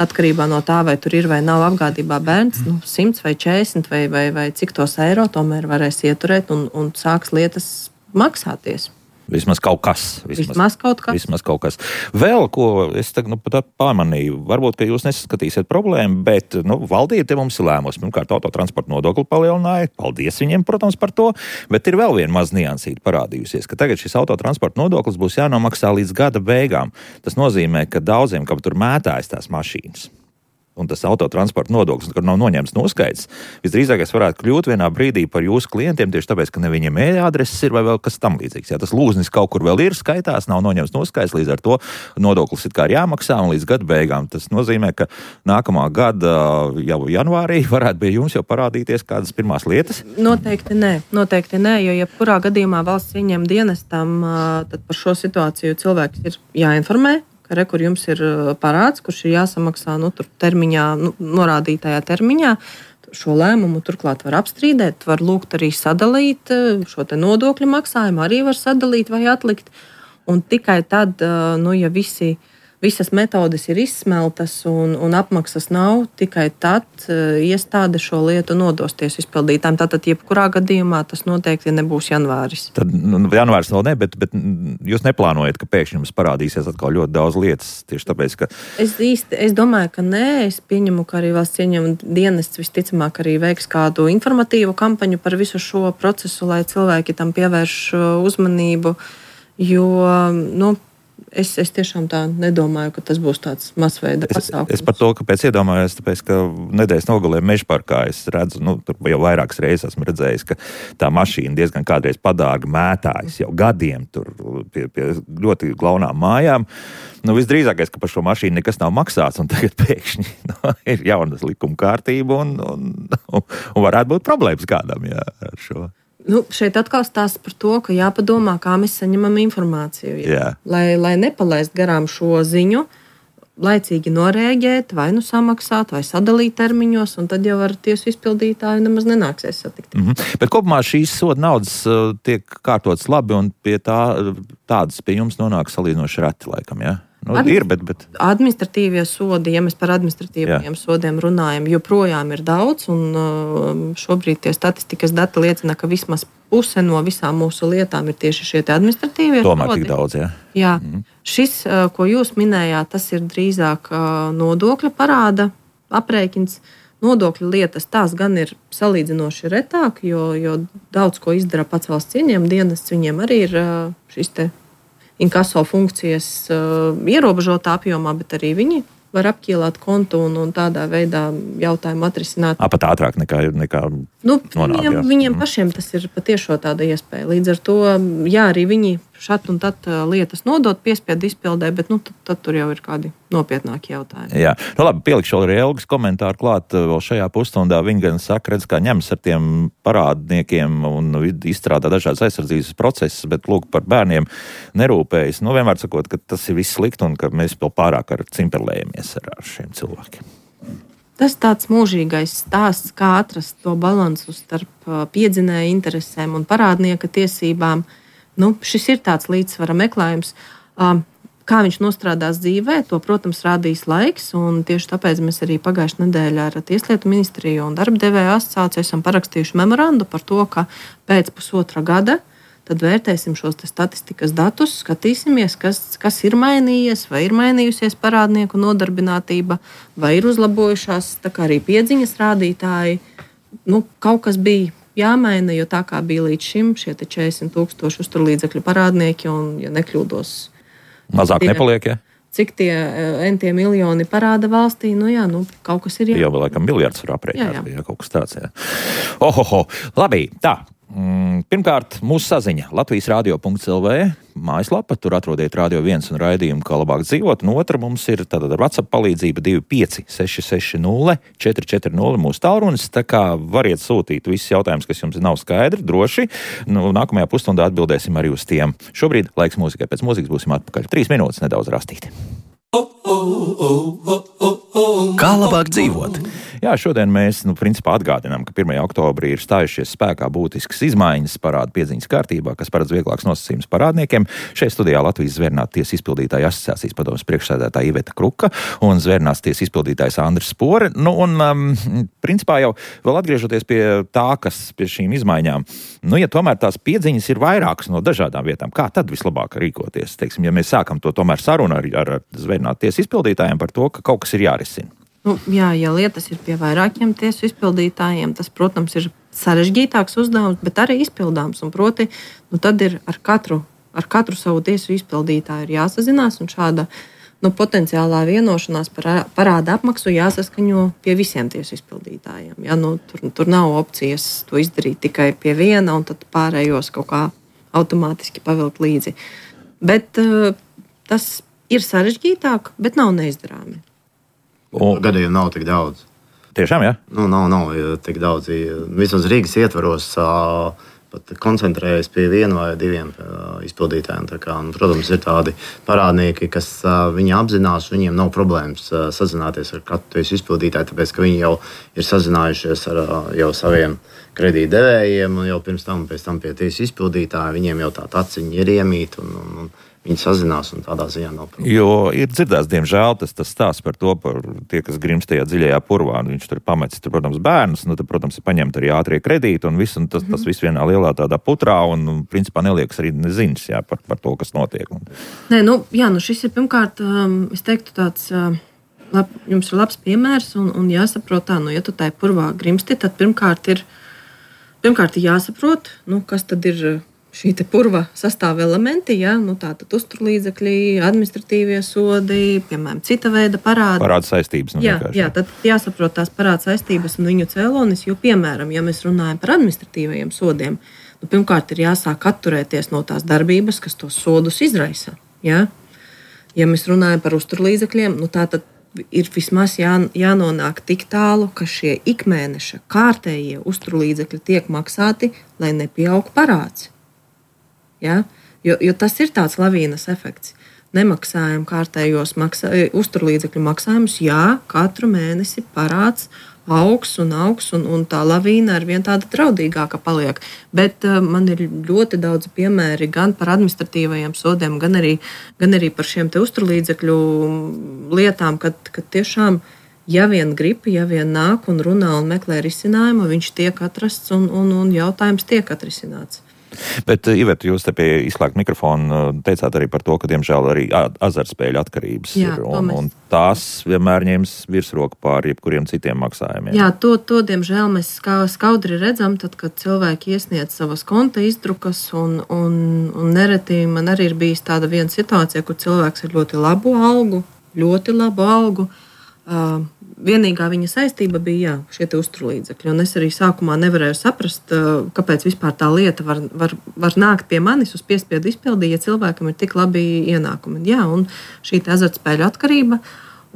atkarībā no tā, vai tur ir vai nav apgādībā bērns, nu, simts vai četrdesmit vai, vai, vai cik tos eiro tomēr varēs ieturēt un, un sāks lietas maksāties. Vismaz kaut kas. Vismaz, vismaz kaut kas. Vismaz kaut kas. Vēl, ko es tagad nu, pat pamanīju, varbūt, ka jūs nesaskatīsiet problēmu, bet nu, valdība te mums ir lēmusi. Pirmkārt, autotransporta nodokli palielināja. Paldies viņiem, protams, par to. Bet ir vēl viena maz niansīta parādījusies, ka tagad šis autotransporta nodoklis būs jānomaksā līdz gada beigām. Tas nozīmē, ka daudziem, kam tur mētājas tās mašīnas, un tas autotransporta nodoklis, kur nav noņemts noskaidrs, visdrīzākais varētu kļūt vienā brīdī par jūsu klientiem tieši tāpēc, ka ne viņiem e-adreses ir vai vēl kas tam līdzīgs. Jā, tas lūznis kaut kur vēl ir skaitās, nav noņemts noskaidrs, līdz ar to nodoklis ir kā ir jāmaksā un līdz gada beigām. Tas nozīmē, ka nākamā gada jau janvārī varētu pie jums jau parādīties kādas pirmās lietas? Noteikti nē, noteikti nē, jo jebkurā gadījumā valsts ieņem dienestam, tad par šo situāciju cilvēks ir jāinformē. Re, kur jums ir parāds, kurš ir jāsamaksā nu, tur termiņā, nu, norādītajā termiņā. šo lēmumu turklāt var apstrīdēt, var lūgt arī sadalīt šo te nodokļu maksājumu, arī var sadalīt vai atlikt. Un tikai tad, nu, ja visi, visas metodes ir izsmeltas un, un apmaksas nav, tikai tad iestāde šo lietu nodos tiesu izpildītājiem. Tātad, jebkurā gadījumā tas noteikti nebūs janvāris. Tad nu, janvāris vēl ne, bet, bet jūs neplānojat, ka pēkšņi jums parādīsies atkal ļoti daudz lietas tieši tāpēc, ka... Es īsti, es domāju, ka nē. Es pieņemu, ka arī valsts ieņēmuma dienests visticamāk arī veiks kādu informatīvu kampaņu par visu šo procesu, lai cilvēki tam pievērš uzmanību, jo, nu, Es, es tiešām tā nedomāju, ka tas būs tāds masveida pasākums. Es, es par to, kāpēc iedomājos, tāpēc, ka nedēļas nogalē Mežparkā es redzu, nu, tur jau vairākas reizes esmu redzējis, ka tā mašīna diezgan kādreiz padārgi mētājas jau gadiem tur pie, pie ļoti glaunām mājām. Nu, visdrīzākais, ka par šo mašīnu nekas nav maksāts, un tagad pēkšņi nu, ir jaunas likuma kārtība, un, un, un, un varētu būt problēmas kādam, jā, ar šo. Nu, šeit atkal stāsts par to, ka jāpadomā, kā mēs saņemam informāciju. Jā. Lai, lai nepalaist garām šo ziņu, laicīgi norēģēt, vai nu samaksāt, vai sadalīt termiņos, un tad jau ar tiesu izpildītāju nemaz nenāksies satikt. Mm-hmm. Bet kopumā šīs soda naudas uh, tiek kārtotas labi, un pie tā, tādas pie jums nonāk salīdzinoši reti laikam, jā? Nu, Admi- ir, bet, bet... Administratīvie sodi, ja mēs par administratīviem sodiem runājam, joprojām ir daudz, un šobrīd tie statistikas dati liecina, ka vismaz puse no visām mūsu lietām ir tieši šie administratīvie Tomēr sodi. Tomēr tik daudz, jā. Jā. Mm. Šis, ko jūs minējāt, tas ir drīzāk nodokļa parāda aprēķins. Nodokļu lietas tās gan ir salīdzinoši retāk, jo, jo daudz ko izdara pats valsts ieņēmuma dienests, viņiem arī ir šis te inkaso funkcijas uh, ierobežotā apjomā, bet arī viņi var apķīlāt kontu un, un tādā veidā jautājumu atrisināt. A, pat ātrāk nekā, nekā nu, nonāk, viņiem, viņiem pašiem tas ir patiešo tāda iespēja. Līdz ar to, jā, arī viņi šat un tad lietas nodot piespiedu izpildē, bet nu, tad, tad tur jau ir kādi nopietnāki jautājumi. Jā, nu labi, pielikšu arī Elgas komentāru klāt vēl šajā pusstundā. Viņi gan saka, redz, kā ņems ar tiem parādniekiem un izstrādā dažādas aizsardzības procesus, bet lūk, par bērniem nerūpējas. Nu, vienmēr sakot, ka tas ir viss slikti un ka mēs vēl pārāk ar cimperlējamies ar, ar šiem cilvēkiem. Tas tāds mūžīgais stāsts, kā atrast to balansu starp piedzinēja interesēm un parādnieka tiesībām. Nu, šis ir tāds līdzsvara meklējums. Kā viņš nostrādās dzīvē, to, protams, rādīs laiks, un tieši tāpēc mēs arī pagājušajā nedēļā ar Tieslietu ministriju un darba devēju asociāciju esam parakstījuši memorandu par to, ka pēc pusotra gada tad vērtēsim šos statistikas datus, skatīsimies, kas, kas ir mainījies, vai ir mainījusies parādnieku nodarbinātība, vai ir uzlabojušās tā kā arī piedziņas rādītāji. Nu, kaut kas bija jāmaina, jo tā kā bija līdz šim šie četrdesmit tūkstoši uzturlīdzekļu parādnieki, un, ja nekļūdos, mazāk tie, nepaliek, ja? Cik tie entie miljoni parāda valstī, nu jā, nu kaut kas ir jā. Jau vēl laikam miljards var aprēķināt, ja kaut kas tāds, jā. Ohoho, labi, tā. Pirmkārt, mūsu saziņa Latvijas radio punkts el vē mājaslapa, tur atrodiet Radio viens un raidījumu, kā labāk dzīvot, un otra mums ir tātad ar WhatsApp palīdzība divi pieci seši seši nulle četri četri nulle mūsu tālrunis, tā kā variet sūtīt visus jautājumus, kas jums nav skaidri, droši, nu, nākamajā pusstundā atbildēsim arī uz tiem. Šobrīd laiks mūzikai, pēc mūzikas būsim atpakaļ. Trīs minūtes nedaudz rastīti. Kā labāk dzīvot? Jā, šodien mēs, nu, principā atgādinām, ka pirmajā oktobrī ir stājušies spēkā būtiskas izmaiņas parādu piedziņas kārtībā, kas paredz vieglāks nosacījums parādniekiem. Šeit studijā Latvijas Zvērnāta tiesas izpildītāja asociācijas padomes priekšsēdētāja Iveta Kruka un Zvērnātas tiesas izpildītājs Andris Spore. Nu, un, um, principā jau vēl atgriežoties pie tā, kas pie šīm izmaiņām, nu, ja tomēr tās piedziņas ir vairākas no dažādām vietām, kā tad vislabāk rīkoties? Teiksim, ja mēs sākam to tomēr sarunu ar, ar Zvērnāta tiesas izpildītājiem par to, ka kaut kas ir jārisina. Nu, jā, ja lietas ir pie vairākiem tiesu izpildītājiem, tas, protams, ir sarežģītāks uzdevums, bet arī izpildāms. Un proti, nu, tad ir ar katru, ar katru savu tiesu izpildītāju ir jāsazinās, un šāda nu, potenciālā vienošanās par parāda apmaksu jāsaskaņo pie visiem tiesu izpildītājiem. Ja, nu, tur, tur nav opcijas to izdarīt tikai pie viena, un tad pārējos kaut kā automātiski pavilkt līdzi. Bet uh, tas ir sarežģītāk, bet nav neizdarāmi. Un gadījumi nav tik daudz. Tiešām, jā? Nu, nav, nav tik daudz. Vismaz Rīgas ietvaros pat koncentrējas pie viena vai diviem izpildītājiem. Tā kā, un, protams, ir tādi parādnieki, kas viņi apzinās, viņiem nav problēmas sazināties ar katru izpildītāju, tāpēc, ka viņi jau ir sazinājušies ar jau saviem kredītdevējiem, un jau pirms tam, pēc tam pie tiesu izpildītāja, viņiem jau tā taciņa ir iemīta, un, un, un viņi sazinās, un tādā ziņā nav problēma. Jo ir dzirdēts, diemžēl, tas, tas stāsts par to, par tie, kas grimst tajā dziļajā purvā, un viņš tur pametis, tur, protams, bērnus, nu, tad, protams, ir paņemt arī ātrie kredīti, un, viss, un tas, tas viss vienā lielā tādā putrā, un, un principā neliekas arī neziņas, jā, par, par to, kas notiek. Nē, nu, jā, nu šis ir pirmkārt, um, es teiktu tāds, uh, lab, jums ir labs piemērs, un, un jāsaprot tā, nu, ja tu tai purvā grimsti, tad pirmkārt ir, pirmkārt ir jāsaprot, nu, kas tad ir šī te purva sastāva elementi, ja? Nu, tātad uzturlīdzekļi, administratīvie sodi, piemēram, cita veida parādi. Parāda saistības. Nu, jā, jā, tad jāsaprot tās parāda saistības un viņu cēlonis, jo, piemēram, ja mēs runājam par administratīvajiem sodiem, nu, pirmkārt ir jāsāk atturēties no tās darbības, kas tos sodus izraisa. Ja, ja mēs runājam par uzturlīdzekļiem, nu, tātad ir vismaz jā, jānonāk tik tālu, ka šie ikmēneša kārtējie uzturlīdzekļi tiek maksāti, lai nepieaug parāds. Ja? Jo, jo tas ir tāds lavīnas efekts. Nemaksājam kārtējos maksā, uzturlīdzekļu maksājumus, jā, katru mēnesi parāds augs un augs, un, un tā lavīna ar vien tāda draudīgāka paliek. Bet uh, man ir ļoti daudz piemēri gan par administratīvajiem sodiem, gan arī, gan arī par šiem te uzturlīdzekļu lietām, kad, kad tiešām, ja vien grib, ja vien nāk un runā un meklē risinājumu, viņš tiek atrasts un, un, un jautājums tiek atrisināts. Bet, Iveta, jūs te pie izslēgta mikrofona teicāt arī par to, ka, diemžēl, arī azartspēļu atkarības Jā, ir, un, un tās vienmēr ņems virsroku pār jebkuriem citiem maksājumiem. Jā, to, to diemžēl, mēs skaudri redzam, tad, kad cilvēki iesniedz savas konta izdrukas, un, un, un nereti man arī ir bijis tāda viena situācija, kur cilvēks ar ļoti labu algu, ļoti labu algu, uh, vienīgā viņa saistība bija jā, šie uzturlīdzekļi. Un es arī sākumā nevarēju saprast, kāpēc vispār tā lieta var, var, var nākt pie manis uz piespiedu izpildi, ja cilvēkam ir tik labi ienākumi. Jā, un šī azartspēļu atkarība.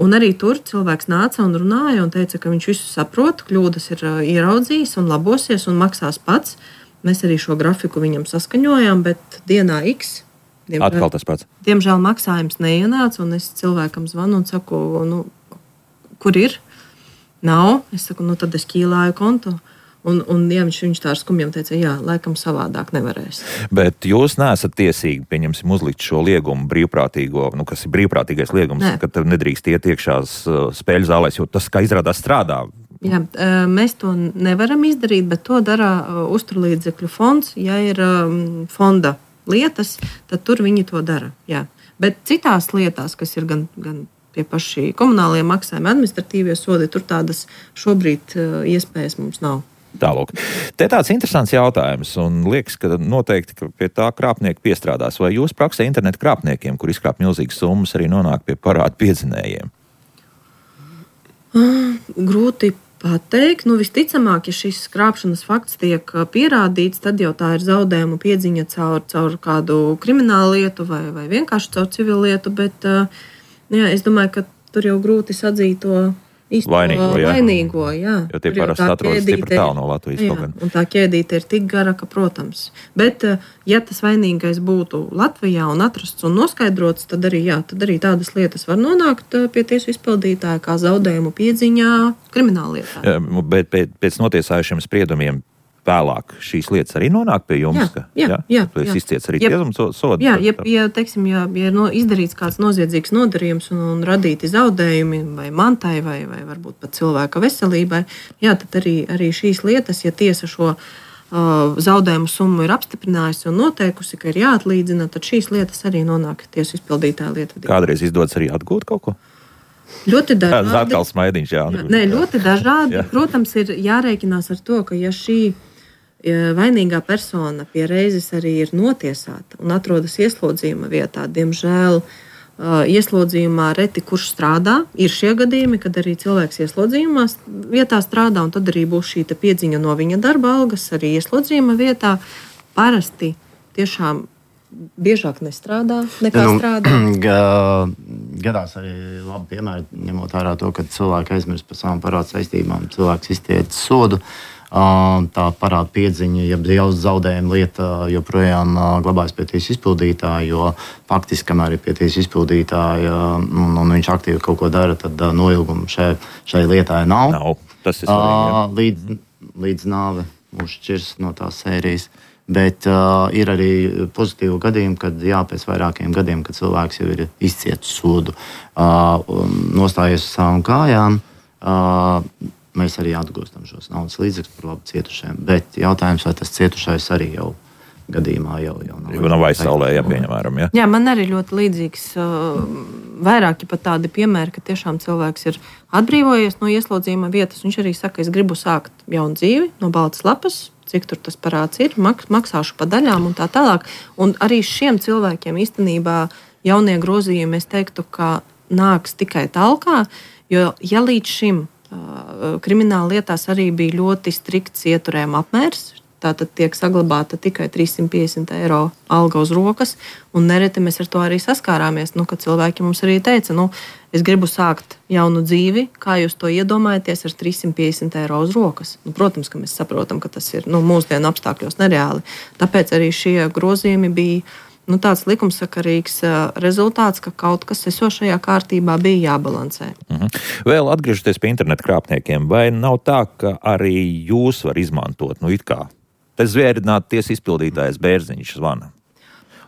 Un arī tur cilvēks nāca un runāja un teica, ka viņš visu saprot, kļūdas ir ieraudzījis un labosies un maksās pats. Mēs arī šo grafiku viņam saskaņojām, bet dienā X. Diemžēl, Atkal tas pats. Diemžēl maksājums neienāca, un es cilvēkam zvanu un saku, nu, kur ir? Nav. Es saku, nu tad es ķīlāju kontu. Un, un ja viņš, viņš tā ar skumjiem teica, jā, laikam savādāk nevarēs. Bet jūs neesat tiesīgi, pieņemsim, uzlikt šo liegumu brīvprātīgo, nu, kas ir brīvprātīgais liegums, ne. Ka tev nedrīkst iet iekšās spēļu zālēs, jo tas, kā izrādās, strādā. Jā, mēs to nevaram izdarīt, bet to dara uzturlīdzekļu fonds. Ja ir fonda lietas, tad tur viņi to dara. Jā. Bet citās lietās, kas ir gan... gan pie paši komunālie maksājumi, administratīvie sodi, tur tādas šobrīd uh, iespējas mums nav. Tālūk. Te tāds interesants jautājums, un liekas, ka noteikti ka pie tā krāpnieki piestrādās. Vai jūs praksē internetu krāpniekiem, kur izkrāp milzīgas summas, arī nonāk pie parādu piedzinējiem? Uh, grūti pateikt. Nu, visticamāk, ja šis krāpšanas fakts tiek pierādīts, tad jau tā ir zaudējumu piedziņa caur, caur kādu kriminālu lietu vai, vai vienkārši caur civilu lietu, bet uh, jā, es domāju, ka tur jau grūti sadzīt to īsto vainīgo. Jā. vainīgo jā. Jo tie parasti atrodas stipri tālu no Latvijas. Jā, un tā ķēdīte ir tik gara, ka, protams. Bet, ja tas vainīgais būtu Latvijā un atrasts un noskaidrots, tad arī, jā, tad arī tādas lietas var nonākt pie tiesu izpildītāja, kā zaudējumu piedziņā krimināllietā. Jā, bet pēc notiesājušiem spriedumiem vēlāk šīs lietas arī nonāk pie jums? Jā, jā, jā, jā. Tu esi izciets arī tiesums sodu? Jā, ja, ja, teiksim, ja, ja ir no, izdarīts kāds noziedzīgs nodarījums un, un radīti zaudējumi vai mantai vai, vai varbūt pat cilvēka veselībai, jā, tad arī, arī šīs lietas, ja tiesa šo uh, zaudējumu summu ir apstiprinājusi un noteikusi, ka ir jāatlīdzina, tad šīs lietas arī nonāk tiesu izpildītāja lietvedībā. Kādreiz izdodas arī atgūt kaut ko? Ļoti dažādi. Tas atkal smaidiņš, jā. jā nē, ļoti dažādi. Jā. Protams, ir jārēķinās ar to, ka ja šī vainīgā persona pie reizes arī ir notiesāta un atrodas ieslodzījuma vietā. Diemžēl ieslodzījumā reti kurš strādā. Ir šie gadījumi, kad arī cilvēks ieslodzījumā vietā strādā, un tad arī būs šī piedziņa no viņa darba algas arī ieslodzījuma vietā. Parasti tiešām biežāk nestrādā nekā nu, strādā. Gadās arī labi piemēri, ņemot vērā to, ka cilvēki aizmirst par savām parādu saistībām, cilvēks iztiec sodu. tā parāda piedziņa, ja jau zaudējuma lieta joprojām glabājas pie tiesas izpildītāja, jo faktiski, kamēr ir pie tiesas izpildītāja un, un viņš aktīvi kaut ko dara, tad noilguma šai, šai lietai nav. Nav. Tas ir svarīgi. Līdz, līdz nāve mūs šķirs no tās sērijas. Bet uh, ir arī pozitīvi gadījumi, kad jā, pēc vairākiem gadiem, kad cilvēks jau ir izcietis sodu, uh, nostājies uz savām kājām, uh, mēs arī atgūstam šos naudas līdzekļus par labu cietušajiem. Bet jautājums, vai tas cietušais arī jau gadījumā jau, jau nav. Jau nav aizsaulē, ja pieņemam. Ja? Jā, man arī ļoti līdzīgs, uh, vairāki pat tādi piemēri, ka tiešām cilvēks ir atbrīvojies no ieslodzījuma vietas. Viņš arī saka, es gribu sākt jaunu dzīvi no baltas lapas, cik tur tas parāds ir, maksāšu pa daļām un tā tālāk. Un arī šiem cilvēkiem īstenībā jaunie grozījumi, es teiktu, ka nāks tikai talkā, jo ja līdz šim uh, krimināla lietās arī bija ļoti strikts ieturējuma apmērs, tātad tiek saglabāta tikai trīssimt piecdesmit eiro alga uz rokas, un nereti mēs ar to arī saskārāmies, nu, kad cilvēki mums arī teica, nu, es gribu sākt jaunu dzīvi, kā jūs to iedomājaties ar trīssimt piecdesmit eiro uz rokas. Nu, protams, ka mēs saprotam, ka tas ir nu, mūsdienu apstākļos nereāli. Tāpēc arī šie grozījumi bija nu, tāds likumsakarīgs rezultāts, ka kaut kas esošajā kārtībā bija jābalansē. Mhm. Vēl atgriežoties pie interneta krāpniekiem, vai nav tā, ka arī jūs var izmantot, nu, it kā te zvērinātu tiesas izpildītājs Bērziņš zvana?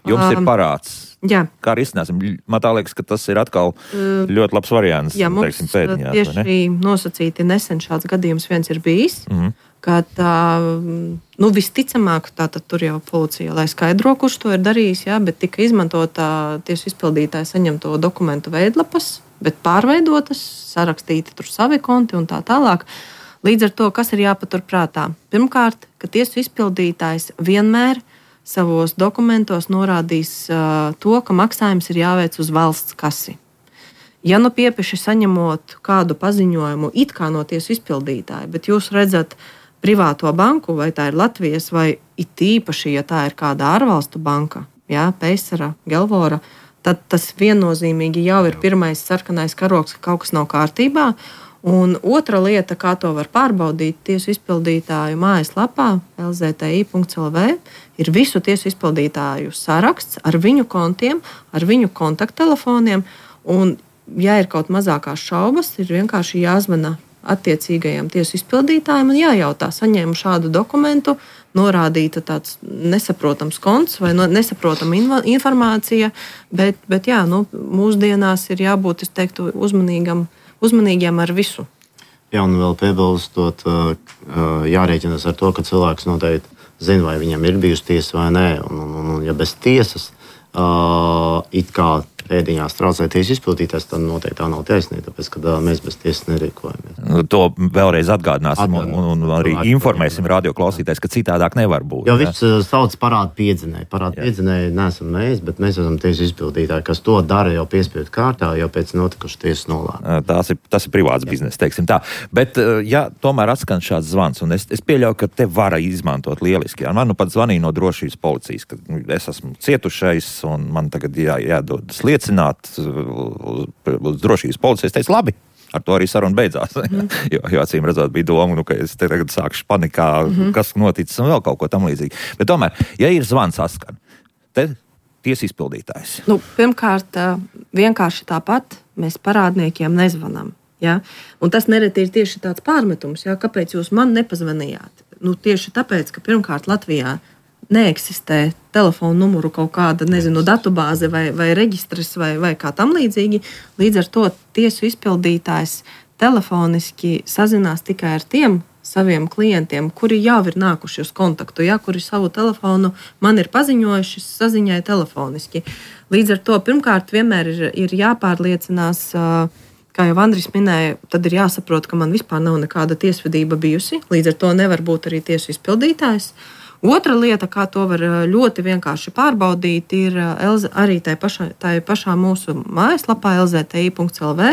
Jums um, ir parāds. Jā. Kā arī izsnāsim? Man tā liekas, ka tas ir atkal ļoti labs variants. Jā, mums teiksim, pēdiņās, tieši nosacīti nesen šāds gadījums viens ir bijis, mm-hmm. ka tā, nu, visticamāk, tātad tur jau policija, lai skaidro, kurš to ir darījis, jā, bet tika izmantota tiesu izpildītāja saņemto dokumentu veidlapas, bet pārveidotas, sarakstīti tur savi konti un tā tālāk. Līdz ar to, kas ir jāpatur prātā? Pirmkārt, ka tiesu izpildītājs vienmēr savos dokumentos norādīs uh, to, ka maksājums ir jāveic uz valsts kasi. Ja nu piepeši saņemot kādu paziņojumu it kā no tiesu izpildītāja, bet jūs redzat privāto banku, vai tā ir Latvijas, vai it īpaši, ja tā ir kāda ārvalstu banka, jā, Peisara, Gelvora, tad tas viennozīmīgi jau ir pirmais sarkanais karoks, ka kaut kas nav kārtībā. Un otra lieta, kā to var pārbaudīt tiesu izpildītāju mājaslapā el zē te i punkts el vē, ir visu tiesu izpildītāju saraksts ar viņu kontiem, ar viņu kontakttelefoniem. Un, ja ir kaut mazākās šaubas, ir vienkārši jāzvana attiecīgajam tiesu izpildītājiem un jājautā, saņēmu šādu dokumentu, norādīta tāds nesaprotams konts vai nesaprotama informācija, bet, bet jā, nu, mūsdienās ir jābūt, es teiktu, uzmanīgam uzmanīgiem ar visu. Jā, un vēl piebilstot, jārēķinās ar to, ka cilvēks noteikti zina, vai viņam ir bijusi tiesa vai nē. Un, un, un ja bez tiesas uh, it kā pēdiņās traucē tiesas izpildītājs, tad noteikti tā nav taisnība, tāpēc, ka uh, mēs bez tiesas nerīkojamies. To vēlreiz atgādināsim un, un, un arī informēsim radioklausītājs, ka citādāk nevar būt. Jo viss uh, sauc parādu piedzinēju. Parādu piedzinēju neesam mēs, bet mēs esam tiesas izpildītāji, kas to dara jau piespiedu kārtā, jau pēc notikušas tiesas nolēmuma. Tas ir, tas ir privāts bizness, teiksim tā. Bet, ja tomēr atskan šāds zvans, un es, es pieļauju, ka te var izmantot lieliski. Man nu pat zvanīja no drošības policijas, ka es esmu cietušais, un man tagad jā, jādodas liecināt uz, uz drošības policijas. Es teicu, labi, ar to arī saruna beidzās. Mm. jo, jo acīm redzot bija doma, nu, ka es te tagad sākšu panikā, mm-hmm. kas noticis un vēl kaut ko tam līdzīgi. Bet tomēr, ja ir zvans askan, te tiesa izpildītājs. Nu, pirmkārt, vienkārši tāpat mēs parādniekiem nezvanām. Ja? Un tas nereti ir tieši tāds pārmetums, ja? Kāpēc jūs man nepazvanījāt? Nu, tieši tāpēc, ka pirmkārt Latvijā neeksistē telefonu numuru kaut kāda, nezinu, datubāze vai, vai reģistrs vai, vai kā tam līdzīgi. Līdz ar to tiesu izpildītājs telefoniski sazinās tikai ar tiem saviem klientiem, kuri jau ir nākuši uz kontaktu, ja, kuri savu telefonu man ir paziņojuši saziņai telefoniski. Līdz ar to pirmkārt vienmēr ir, ir jāpārliecinās, kā jau Andris minēja, tad ir jāsaprot, ka man vispār nav nekāda tiesvedība bijusi, līdz ar to nevar būt arī tiesu izpildītājs. Otra lieta, kā to var ļoti vienkārši pārbaudīt, ir arī tajā pašā, tajā pašā mūsu mājaslapā el zē te i punkts el vē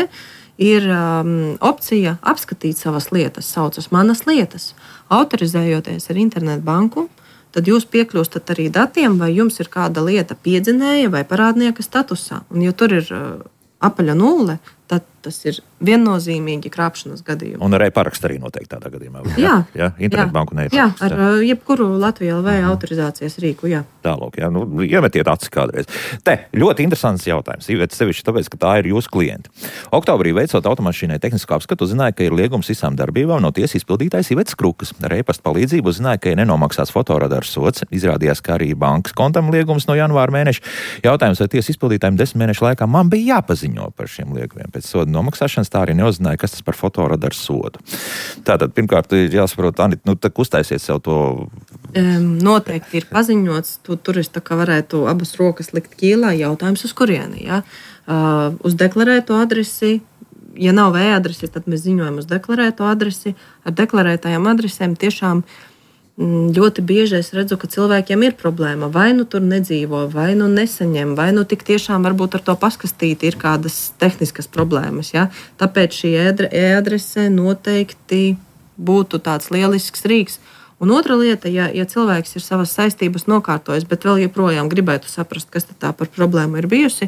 ir um, opcija apskatīt savas lietas, saucas manas lietas. Autorizējoties ar internetu banku, tad jūs piekļūstat arī datiem, vai jums ir kāda lieta piedzinēja vai parādnieka statusā. Un, ja tur ir uh, apaļa nulle, tad tas ir viennozīmīgi krāpšanas gadījumi. Un ar e-parakstu arī noteikti tādā gadījumā. Jā, jā internetbanku un e-parakstu. Jā, ar jā. jebkuru Latviju L V mm. autorizācijas rīku, jā. Tālūk, jā, nu, iemetiet acis kādreiz. Te, ļoti interesants jautājums, Iveta, sevišķi tāpēc, ka tā ir jūsu klienti. Oktobrī veicot automašīnai tehnisko apskatu, uzzināja, ka ir liegums visām darbībām no tiesas izpildītājs Ivetas Krukas. Ar e-pasta palīdzību uzzināja, ka ir nenomaksāts fotoradars sots. Izrādījās, ka arī bankas kontam liegums no janvāra mēneša. Jautājums, vai tiesas izpildītājiem desmit mēnešu laikā man bija jāpaziņo par šiem liegumiem. Pēc soda nomaksāšanas tā arī neuzzināja, kas tas par fotoradaru sodu. Tātad, pirmkārt, ir jāsaprot, Anita, nu, tak uztaisiet sev to. Um, noteikti ir paziņots, tu tur es tā kā varētu abas rokas likt ķīlā, jautājums uz kurieni, ja? Uh, uz deklarēto adresi, ja nav e-adresi, tad mēs ziņojam uz deklarēto adresi. Ar deklarētajām adresēm tiešām ļoti bieži es redzu, ka cilvēkiem ir problēma. Vai nu tur nedzīvo, vai nu nesaņem, vai nu tik tiešām varbūt ar to paskastīti ir kādas tehniskas problēmas. Ja? Tāpēc šī e-adrese noteikti būtu tāds lielisks rīks. Un otra lieta, ja, ja cilvēks ir savas saistības nokārtojis, bet vēl joprojām gribētu saprast, kas tā par problēmu ir bijusi,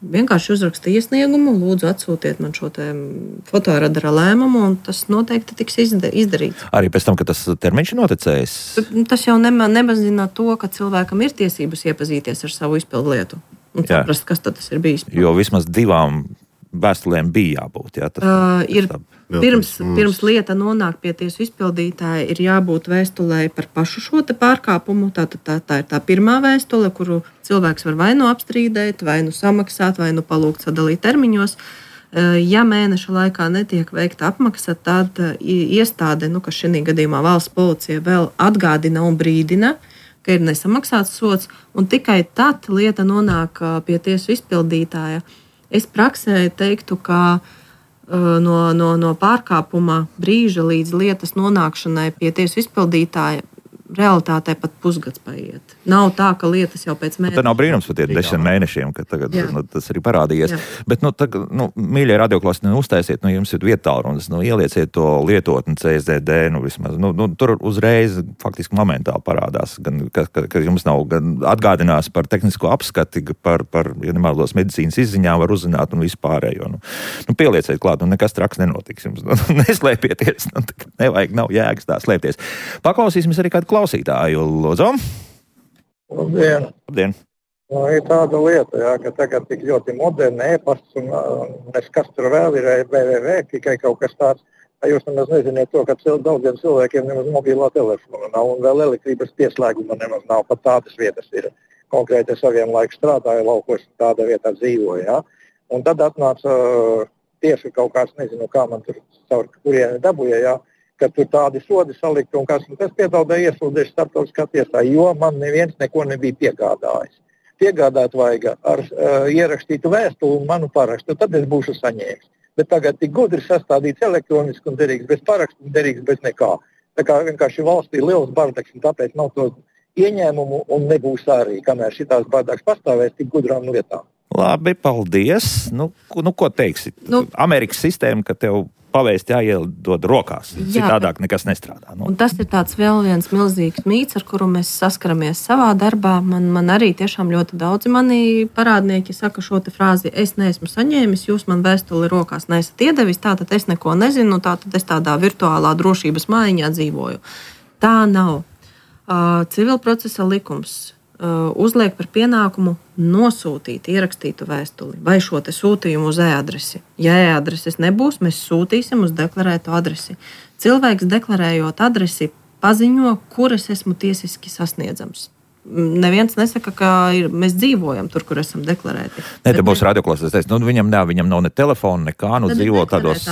vienkārši uzraksta iesniegumu, lūdzu atsūtiet man šo fotoradara lēmumu, un tas noteikti tiks izdarīts. Arī pēc tam, kad tas termiņš ir noticējis? Tas jau nema, nemazina to, ka cilvēkam ir tiesības iepazīties ar savu izpildu lietu un Jā. saprast, kas tad tas ir bijis. Jo vismaz divām vēstulēm bija jābūt. Jā, tas, uh, ir, pirms, pirms lieta nonāk pie tiesu izpildītāja, ir jābūt vēstulē par pašu šo te pārkāpumu. Tā, tā, tā, tā ir tā pirmā vēstule, kuru cilvēks var vai nu apstrīdēt, vai nu samaksāt, vai nu palūgt sadalīt termiņos. Uh, ja mēneša laikā netiek veikta apmaksa, tad uh, iestāde, nu, kas šī gadījumā valsts policija, vēl atgādina un brīdina, ka ir nesamaksāts sots, un tikai tad lieta nonāk uh, pie tiesu izpildītāja. Es praksē teiktu, ka uh, no, no, no pārkāpuma brīža līdz lietas nonākšanai pie tiesu izpildītāja realitātē pat pusgads paiet. Nav tā, ka lietas jau pēc mēneša. Tā nav brīnums par tiem desmit mēnešiem, ka tagad nu, tas arī parādījies. Jā. Bet, nu, tagad, nu, mīļie radioklāsni, nu, uztaisiet, nu, jums ir vietālrunas, nu, ielieciet to lietotni C S D D, nu, vismaz, nu, nu, tur uzreiz faktiski momentāli parādās, gan, ka, ka, ka jums nav gan atgādinās par tehnisko apskati, par, par ja nemaldos medicīnas izziņām var uzzināt un vispārējo. Nu, nu, pielieciet klāt, nu, nekas traks nenotiks jums. Nu, neslēpieties, nu, nevajag, nav jēgas tā slēpties. Paklausīsimies arī kādu klausītāju, lūdzu. Labdien. Labdien. Nu, ir tāda lieta, jā, ka tagad tik ļoti moderna e-pasts un nes kas tur vēl ir w w w, tikai kaut kas tāds. Jūs nemaz neziniet to, ka cil, daudziem cilvēkiem nemaz mobilā telefona nav un vēl elektrības pieslēguma nemaz nav. Pat tādas vietas ir. Konkrēti saviem laiku strādāju laukos, tāda vietā dzīvoju. Jā. Un tad atnāca uh, tieši kaut kāds, nezinu, kā man tur caur kurieni dabūja, jā. Ka tur tādi sodi salikti un kas, un tas piedāvāja iesūdzējuši starptautiskā tiesā, jo man neviens neko nebija piegādājis. Piegādāt vajag ar uh, ierakstītu vēstuli un manu parakstu, tad es būšu saņēmis. Bet tagad tik gudri sastādīts elektroniski un derīgs bez parakstu un derīgs bez nekā. Tā kā vienkārši valstī ir liels bardaks un tāpēc nav to ieņēmumu un nebūs arī, kamēr šitās bardaks pastāvēs tik gudrām lietām. Labi, paldies. Nu, nu ko teiksi? Nu, Amerikas sistēma, ka tev pavēst jāiedod rokās. Citādāk nekas nestrādā. Nu. Un tas ir tāds vēl viens milzīgs mīts, ar kuru mēs saskaramies savā darbā. Man, man arī tiešām ļoti daudzi mani parādnieki saka šo te frāzi, es neesmu saņēmis, jūs man vēstuli rokās neesat iedevis, tātad es neko nezinu, tātad es tādā virtuālā drošības mājiņā dzīvoju. Tā nav. Uh, civilprocesa likums uh, uzliek par pienākumu nosūtīt ierakstītu vēstuli vai šo te sūtījumu uz e-adresi. Ja e-adreses nebūs, mēs sūtīsim uz deklarēto adresi. Cilvēks deklarējot adresi paziņo, kur es esmu tiesiski sasniedzams. Neviens nesaka, ka ir, mēs dzīvojam tur, kur esam deklarēti. Nē, te būs radioklāsēs. Nu, viņam, ne, viņam nav ne telefona, nekā, nu dzīvo tādos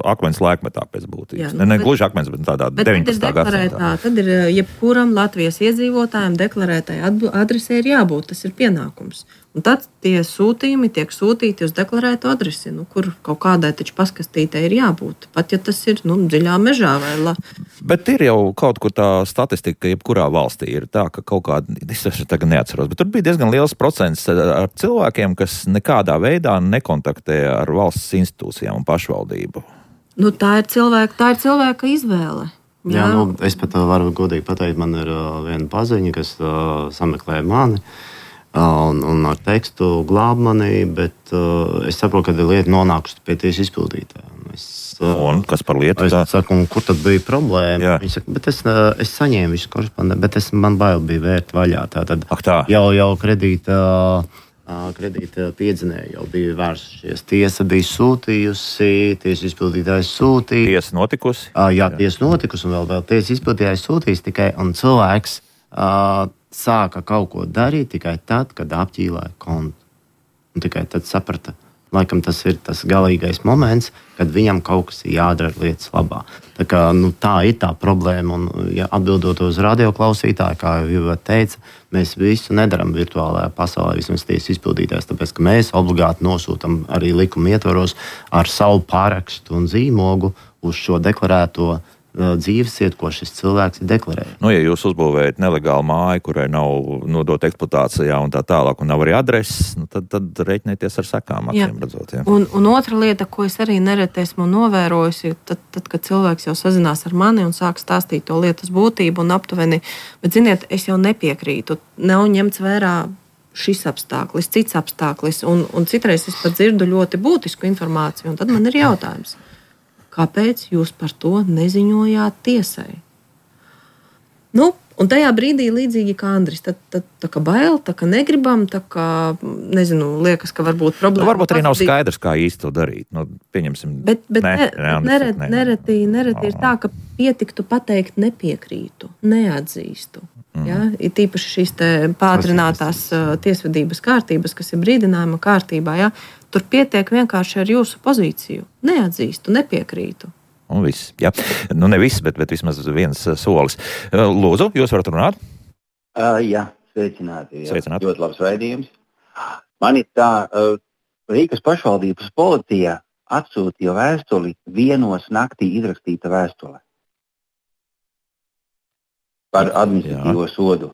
akmens laikmetā pēc būtības. Nu, ne, ne gluži akmens, bet tādā deviņpadsmitā gadsimtā. Tad ir jebkuram Latvijas iedzīvotājiem deklarētai adresē ir jābūt, tas ir pienākums. Un tad tie sūtījumi tiek sūtīti uz deklarētu adresi, nu, kur kaut kādai taču paskastītei ir jābūt. Pat ja tas ir nu, dziļā mežā vai la. Bet ir jau kaut kur tā statistika, jebkurā valstī ir tā, ka kaut kāda, es tagad neatceros, bet tur bija diezgan liels procents ar cilvēkiem, kas nekādā veidā nekontaktē ar valsts institūcijām un pašvaldību. Nu, tā ir cilvēka, tā ir cilvēka izvēle. Jā, Jā nu, es pat varu godīgi pateikt, man ir uh, viena paziņa, kas uh, sameklēja mani. un, un ar tekstu glāb mani, bet uh, es saprotu, ka lieta nonākusi pie tiesas izpildītāja. Es, uh, un kas par lietu? Es saku, un kur tad bija problēma? Jā. Viņi saka, bet es, uh, es saņēmu visu korespondenci, bet es, man bail bija vērt vaļā. Tātad Ak, tā. jau, jau kredīta, uh, kredīta piedzinēji jau bija vērsušies. Tiesa bija sūtījusi, tiesa izpildītājs sūtīja. Tiesa notikusi? Uh, jā, tiesa notikusi, un vēl, vēl tiesa izpildītājs sūtījis tikai, un cilvēks uh, sāka kaut ko darīt tikai tad, kad apķīlāja kontu. Un tikai tad saprata, laikam tas ir tas galīgais moments, kad viņam kaut kas ir jādara lietas labā. Tā, kā, nu, tā ir tā problēma, un ja atbildot uz radioklausītāju, kā jau teica, mēs visu nedaram virtuālajā pasaulē, vismaz tiesas izpildītājs, tāpēc, ka mēs obligāti nosūtam arī likuma ietvaros ar savu pārakstu un zīmogu uz šo deklarēto dzīvesvietu, ko šis cilvēks ir deklarējis. Nu, ja jūs uzbūvējat nelegālu māju, kurai nav nodota eksploatācijā un tā tālāk, un nav arī adreses, nu, tad, tad reiķinieties ar sekām, acīm redzot. Jā. Un, un otra lieta, ko es arī nereti esmu novērojusi, tad, tad, kad cilvēks jau sazinās ar mani un sāk stāstīt to lietas būtību un aptuveni, bet, ziniet, es jau nepiekrītu, nav ņemts vērā šis apstāklis, cits apstāklis, un, un citreiz es pat dzirdu ļoti būtisku informāciju, un tad man ir jautājums. Kāpēc jūs par to neziņojāt tiesai? Nu, un tajā brīdī līdzīgi kā Andris, tad, tad tā kā bail, tā kā negribam, tā kā, nezinu, liekas, ka varbūt problēma... Nu, varbūt arī nav skaidrs, kā īsti to darīt. Nu, pieņemsim... Bet, bet ne, ne, ne, neret, ne, nereti, nereti ir tā, ka pietiktu pateikt nepiekrītu, neatzīstu. Mm. Ja? Ir tīpaši šīs te pātrinātās uh, tiesvedības kārtības, kas ir brīdinājuma kārtībā, ja? Tur pietiek vienkārši ar jūsu pozīciju. Neatzīstu, nepiekrītu. Un viss, jā. Nu, ne viss, bet, bet vismaz viens solis. Lūdzu, jūs varat runāt? Uh, jā, sveicināti. Jā. Sveicināti. Ļoti labs raidījums. Man ir tā, uh, Rīgas pašvaldības policija atsūtīja vēstuli vienos naktī izrakstīta vēstule par administratīvo jā. sodu.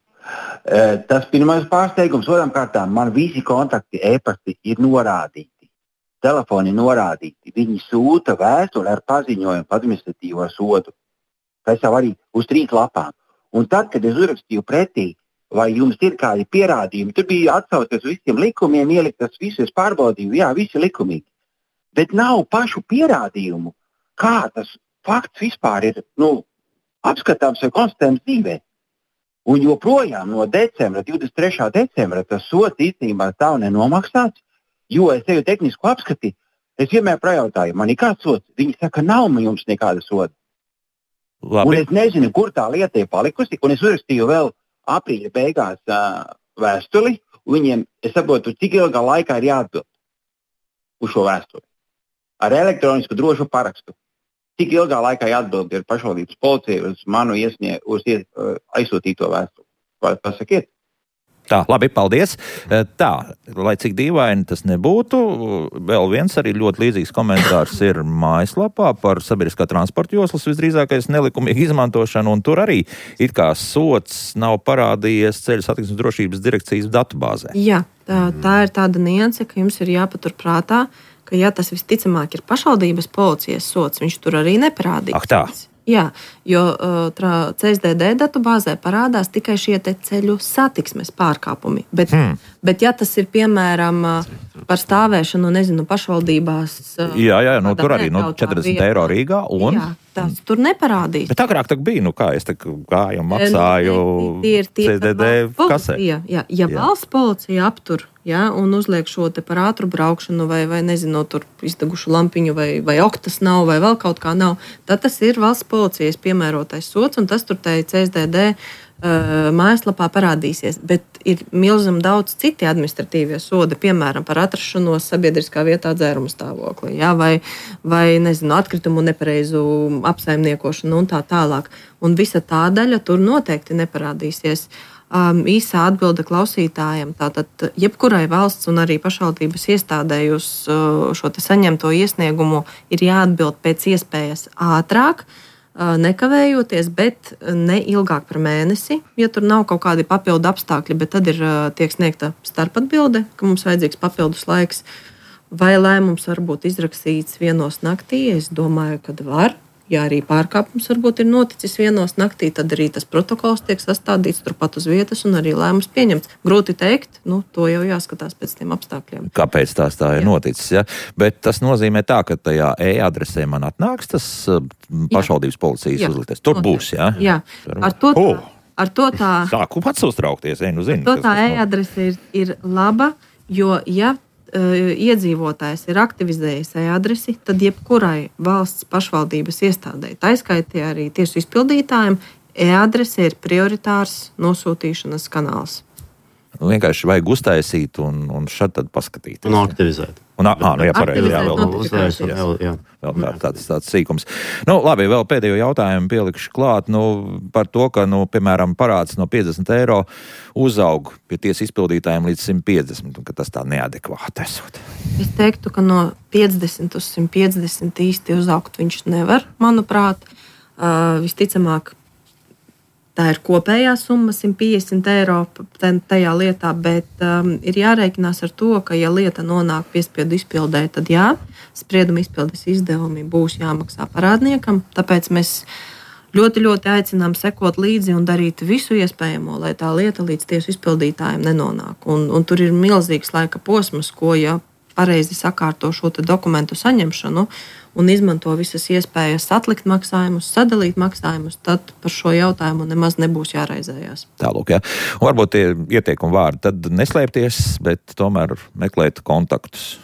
Uh, tas pirmais pārsteigums, otram kārtām, man visi kontakti e-pasti ir norādīti. Telefoni norādīti. Viņi sūta vēstuli ar paziņojumu par administratīvo sodu. Tas jau arī uz trīs lapām. Un tad, kad es uzrakstīju pretī, vai jums ir kādi pierādījumi, tur bija atsaucies uz visiem likumiem, ielikt tas visu, es pārbaudīju, jā, visi likumīgi. Bet nav pašu pierādījumu, kā tas fakts vispār ir, nu, apskatāms vai konstatējams dzīvē. Un joprojām no decembra, divdesmit trešā decembra, tas sods īstenībā tā nenomaksāts, jo es eju tehnisku apskati, es vienmēr prajautāju, man ir kāds sods? Viņi saka, nav jums nekāda soda. Labi. Un es nezinu, kur tā lieta ir palikusi, un es uzrakstīju vēl aprīļa beigās uh, vēstuli, un viņiem, es saprotu, cik ilgā laikā ir jāatbild uz šo vēstuli. Ar elektronisku drošu parakstu. Cik ilgā laikā jāatbild ir pašvaldības policija uz manu iesnie, uz ies, uh, aizsūtīto vēstuli? Vai pasakiet? Tā, labi, paldies. Tā, lai cik dīvaini tas nebūtu, vēl viens arī ļoti līdzīgs komentārs ir mājaslapā par sabiedriskā transporta joslas visdrīzākais nelikumīgu izmantošanu, un tur arī it kā sods nav parādījies Ceļu satiksmes drošības direkcijas datubāzē. Jā, tā, tā ir tāda nianse, ka jums ir jāpatur prātā, ka ja tas visticamāk ir pašvaldības policijas sods, viņš tur arī neparādīs. Ak tā. Jā, jo uh, C S D D datubāzē parādās tikai šie te ceļu satiksmes pārkāpumi. Bet, hmm. bet ja tas ir piemēram par stāvēšanu, nezinu, pašvaldībās. Uh, jā, jā, nu, tur arī nu, četrdesmit eiro Rīgā. Un... Jā, tas tur neparādīs. Bet agrāk tā bija, nu kā es te gāju un maksāju tie ir tie, C S D D kasē. Jā, jā, ja jā. Valsts policija aptur, jā, un uzliek šo te par ātru braukšanu vai, vai nezinu, tur izdegušu lampiņu vai, vai oktas nav vai vēl kaut kā nav, tad tas ir valsts policijas piemērotais sods, un tas tur tai C S D D uh, mājaslapā parādīsies. Bet ir milzam daudz citi administratīvie sodi, piemēram, par atrašanos sabiedriskā vietā dzēruma stāvoklī, jā, vai, vai nezinu, atkritumu nepareizu apsaimniekošanu un tā tālāk. Un visa tā daļa tur noteikti neparādīsies. Um, īsā atbilde klausītājiem. Tātad jebkurai valsts un arī pašvaldības iestādēji uz uh, šo te saņemto iesniegumu ir jāatbild pēc iespējas ātrāk, uh, nekavējoties, bet ne ilgāk par mēnesi, ja tur nav kaut kādi papildu apstākļi, bet tad ir uh, tiek sniegta starpatbilde, ka mums vajadzīgs papildus laiks, vai lēmums var būt izrakstīts vienos naktī. Es domāju, ka var. Ja arī pārkāpums varbūt ir noticis vienos naktī, tad arī tas protokols tiek sastādīts turpat uz vietas un arī lēmums pieņemts. Grūti teikt, nu, to jau jāskatās pēc tiem apstākļiem. Kāpēc tās tā ir Jā. noticis? Ja? Bet tas nozīmē tā, ka tajā e-adresē man atnāks tas pašvaldības policijas Jā. uzliktais. Tur notiek. būs, jā? Jā, ar to tā. Oh. Ar to tā Sāku pats uztraukties, ej, nu zinu. To tā e-adrese ir, ir laba, jo, ja iedzīvotājs ir aktivizējis e-adresi, tad jebkurai valsts pašvaldības iestādei, tā izskaitī arī tiesu izpildītājiem, e-adrese ir prioritārs nosūtīšanas kanāls. Vienkārši vajag uztaisīt un, un šad tad paskatīt. Un aktivizēt. Un, ā, nu jā, pareizi, jā, vēl, uzreiz, jā, jā. vēl kā, tāds, tāds sīkums. Nu, labi, vēl pēdējo jautājumu pielikšu klāt, nu, par to, ka, nu, piemēram, parāds no piecdesmit eiro uzaug pie tiesas izpildītājiem līdz simt piecdesmit, un ka tas tā neadekvāti esot. Es teiktu, ka no piecdesmit uz simt piecdesmit īsti uzaugt viņš nevar, manuprāt. Uh, visticamāk, tā ir kopējā summa simt piecdesmit eiro tajā lietā, bet um, ir jārēķinās ar to, ka, ja lieta nonāk piespiedu izpildē, tad jā, sprieduma izpildes izdevumi būs jāmaksā parādniekam. Tāpēc mēs ļoti, ļoti aicinām sekot līdzi un darīt visu iespējamo, lai tā lieta līdz tiesu izpildītājiem nenonāk. Un, un tur ir milzīgs laika posms, ko, ja pareizi sakārto šo dokumentu saņemšanu un izmanto visas iespējas atlikt maksājumus, sadalīt maksājumus, tad par šo jautājumu nemaz nebūs jāraizējās. Tālūk, jā. Un varbūt tie ieteikumi vārdi tad neslēpties, bet tomēr meklēt kontaktus.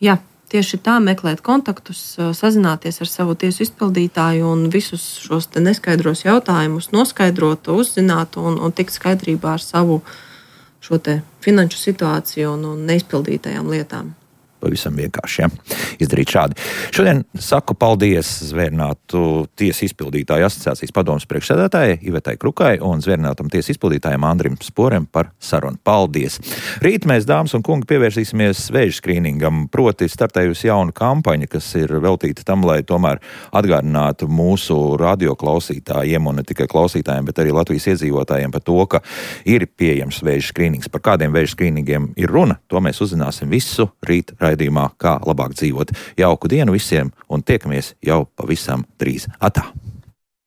Jā, tieši tā, meklēt kontaktus, sazināties ar savu tiesu izpildītāju un visus šos te neskaidros jautājumus noskaidrot, uzzināt un, un tikt skaidrībā ar savu šo te finanšu situāciju un, un neizpildītajām lietām. Pavisam vienkārši, ja? Izdarīt šādi. Šodien saku paldies Zvērinātu tiesu izpildītāju asociācijas padomes priekšsēdētājai Ivetai Krukai un Zvērinātam tiesu izpildītājam Andrim Sporem par sarunu. Paldies! Rīt mēs, dāmas un kungi, pievērsīsimies vēža skrīningam, proti startējusi jauna kampaņa, kas ir veltīta tam, lai tomēr atgādinātu mūsu radioklausītājiem un ne tikai klausītājiem, bet arī Latvijas iedzīvotājiem par to, ka ir pieejams vēža skrīnings. Par kādiem vēža skrīningiem ir runa, to mēs uzzināsim visu rīt raidījumā, kā labāk dzīvot. Jauku dienu visiem un tiekamies jau pavisam drīz. Atā!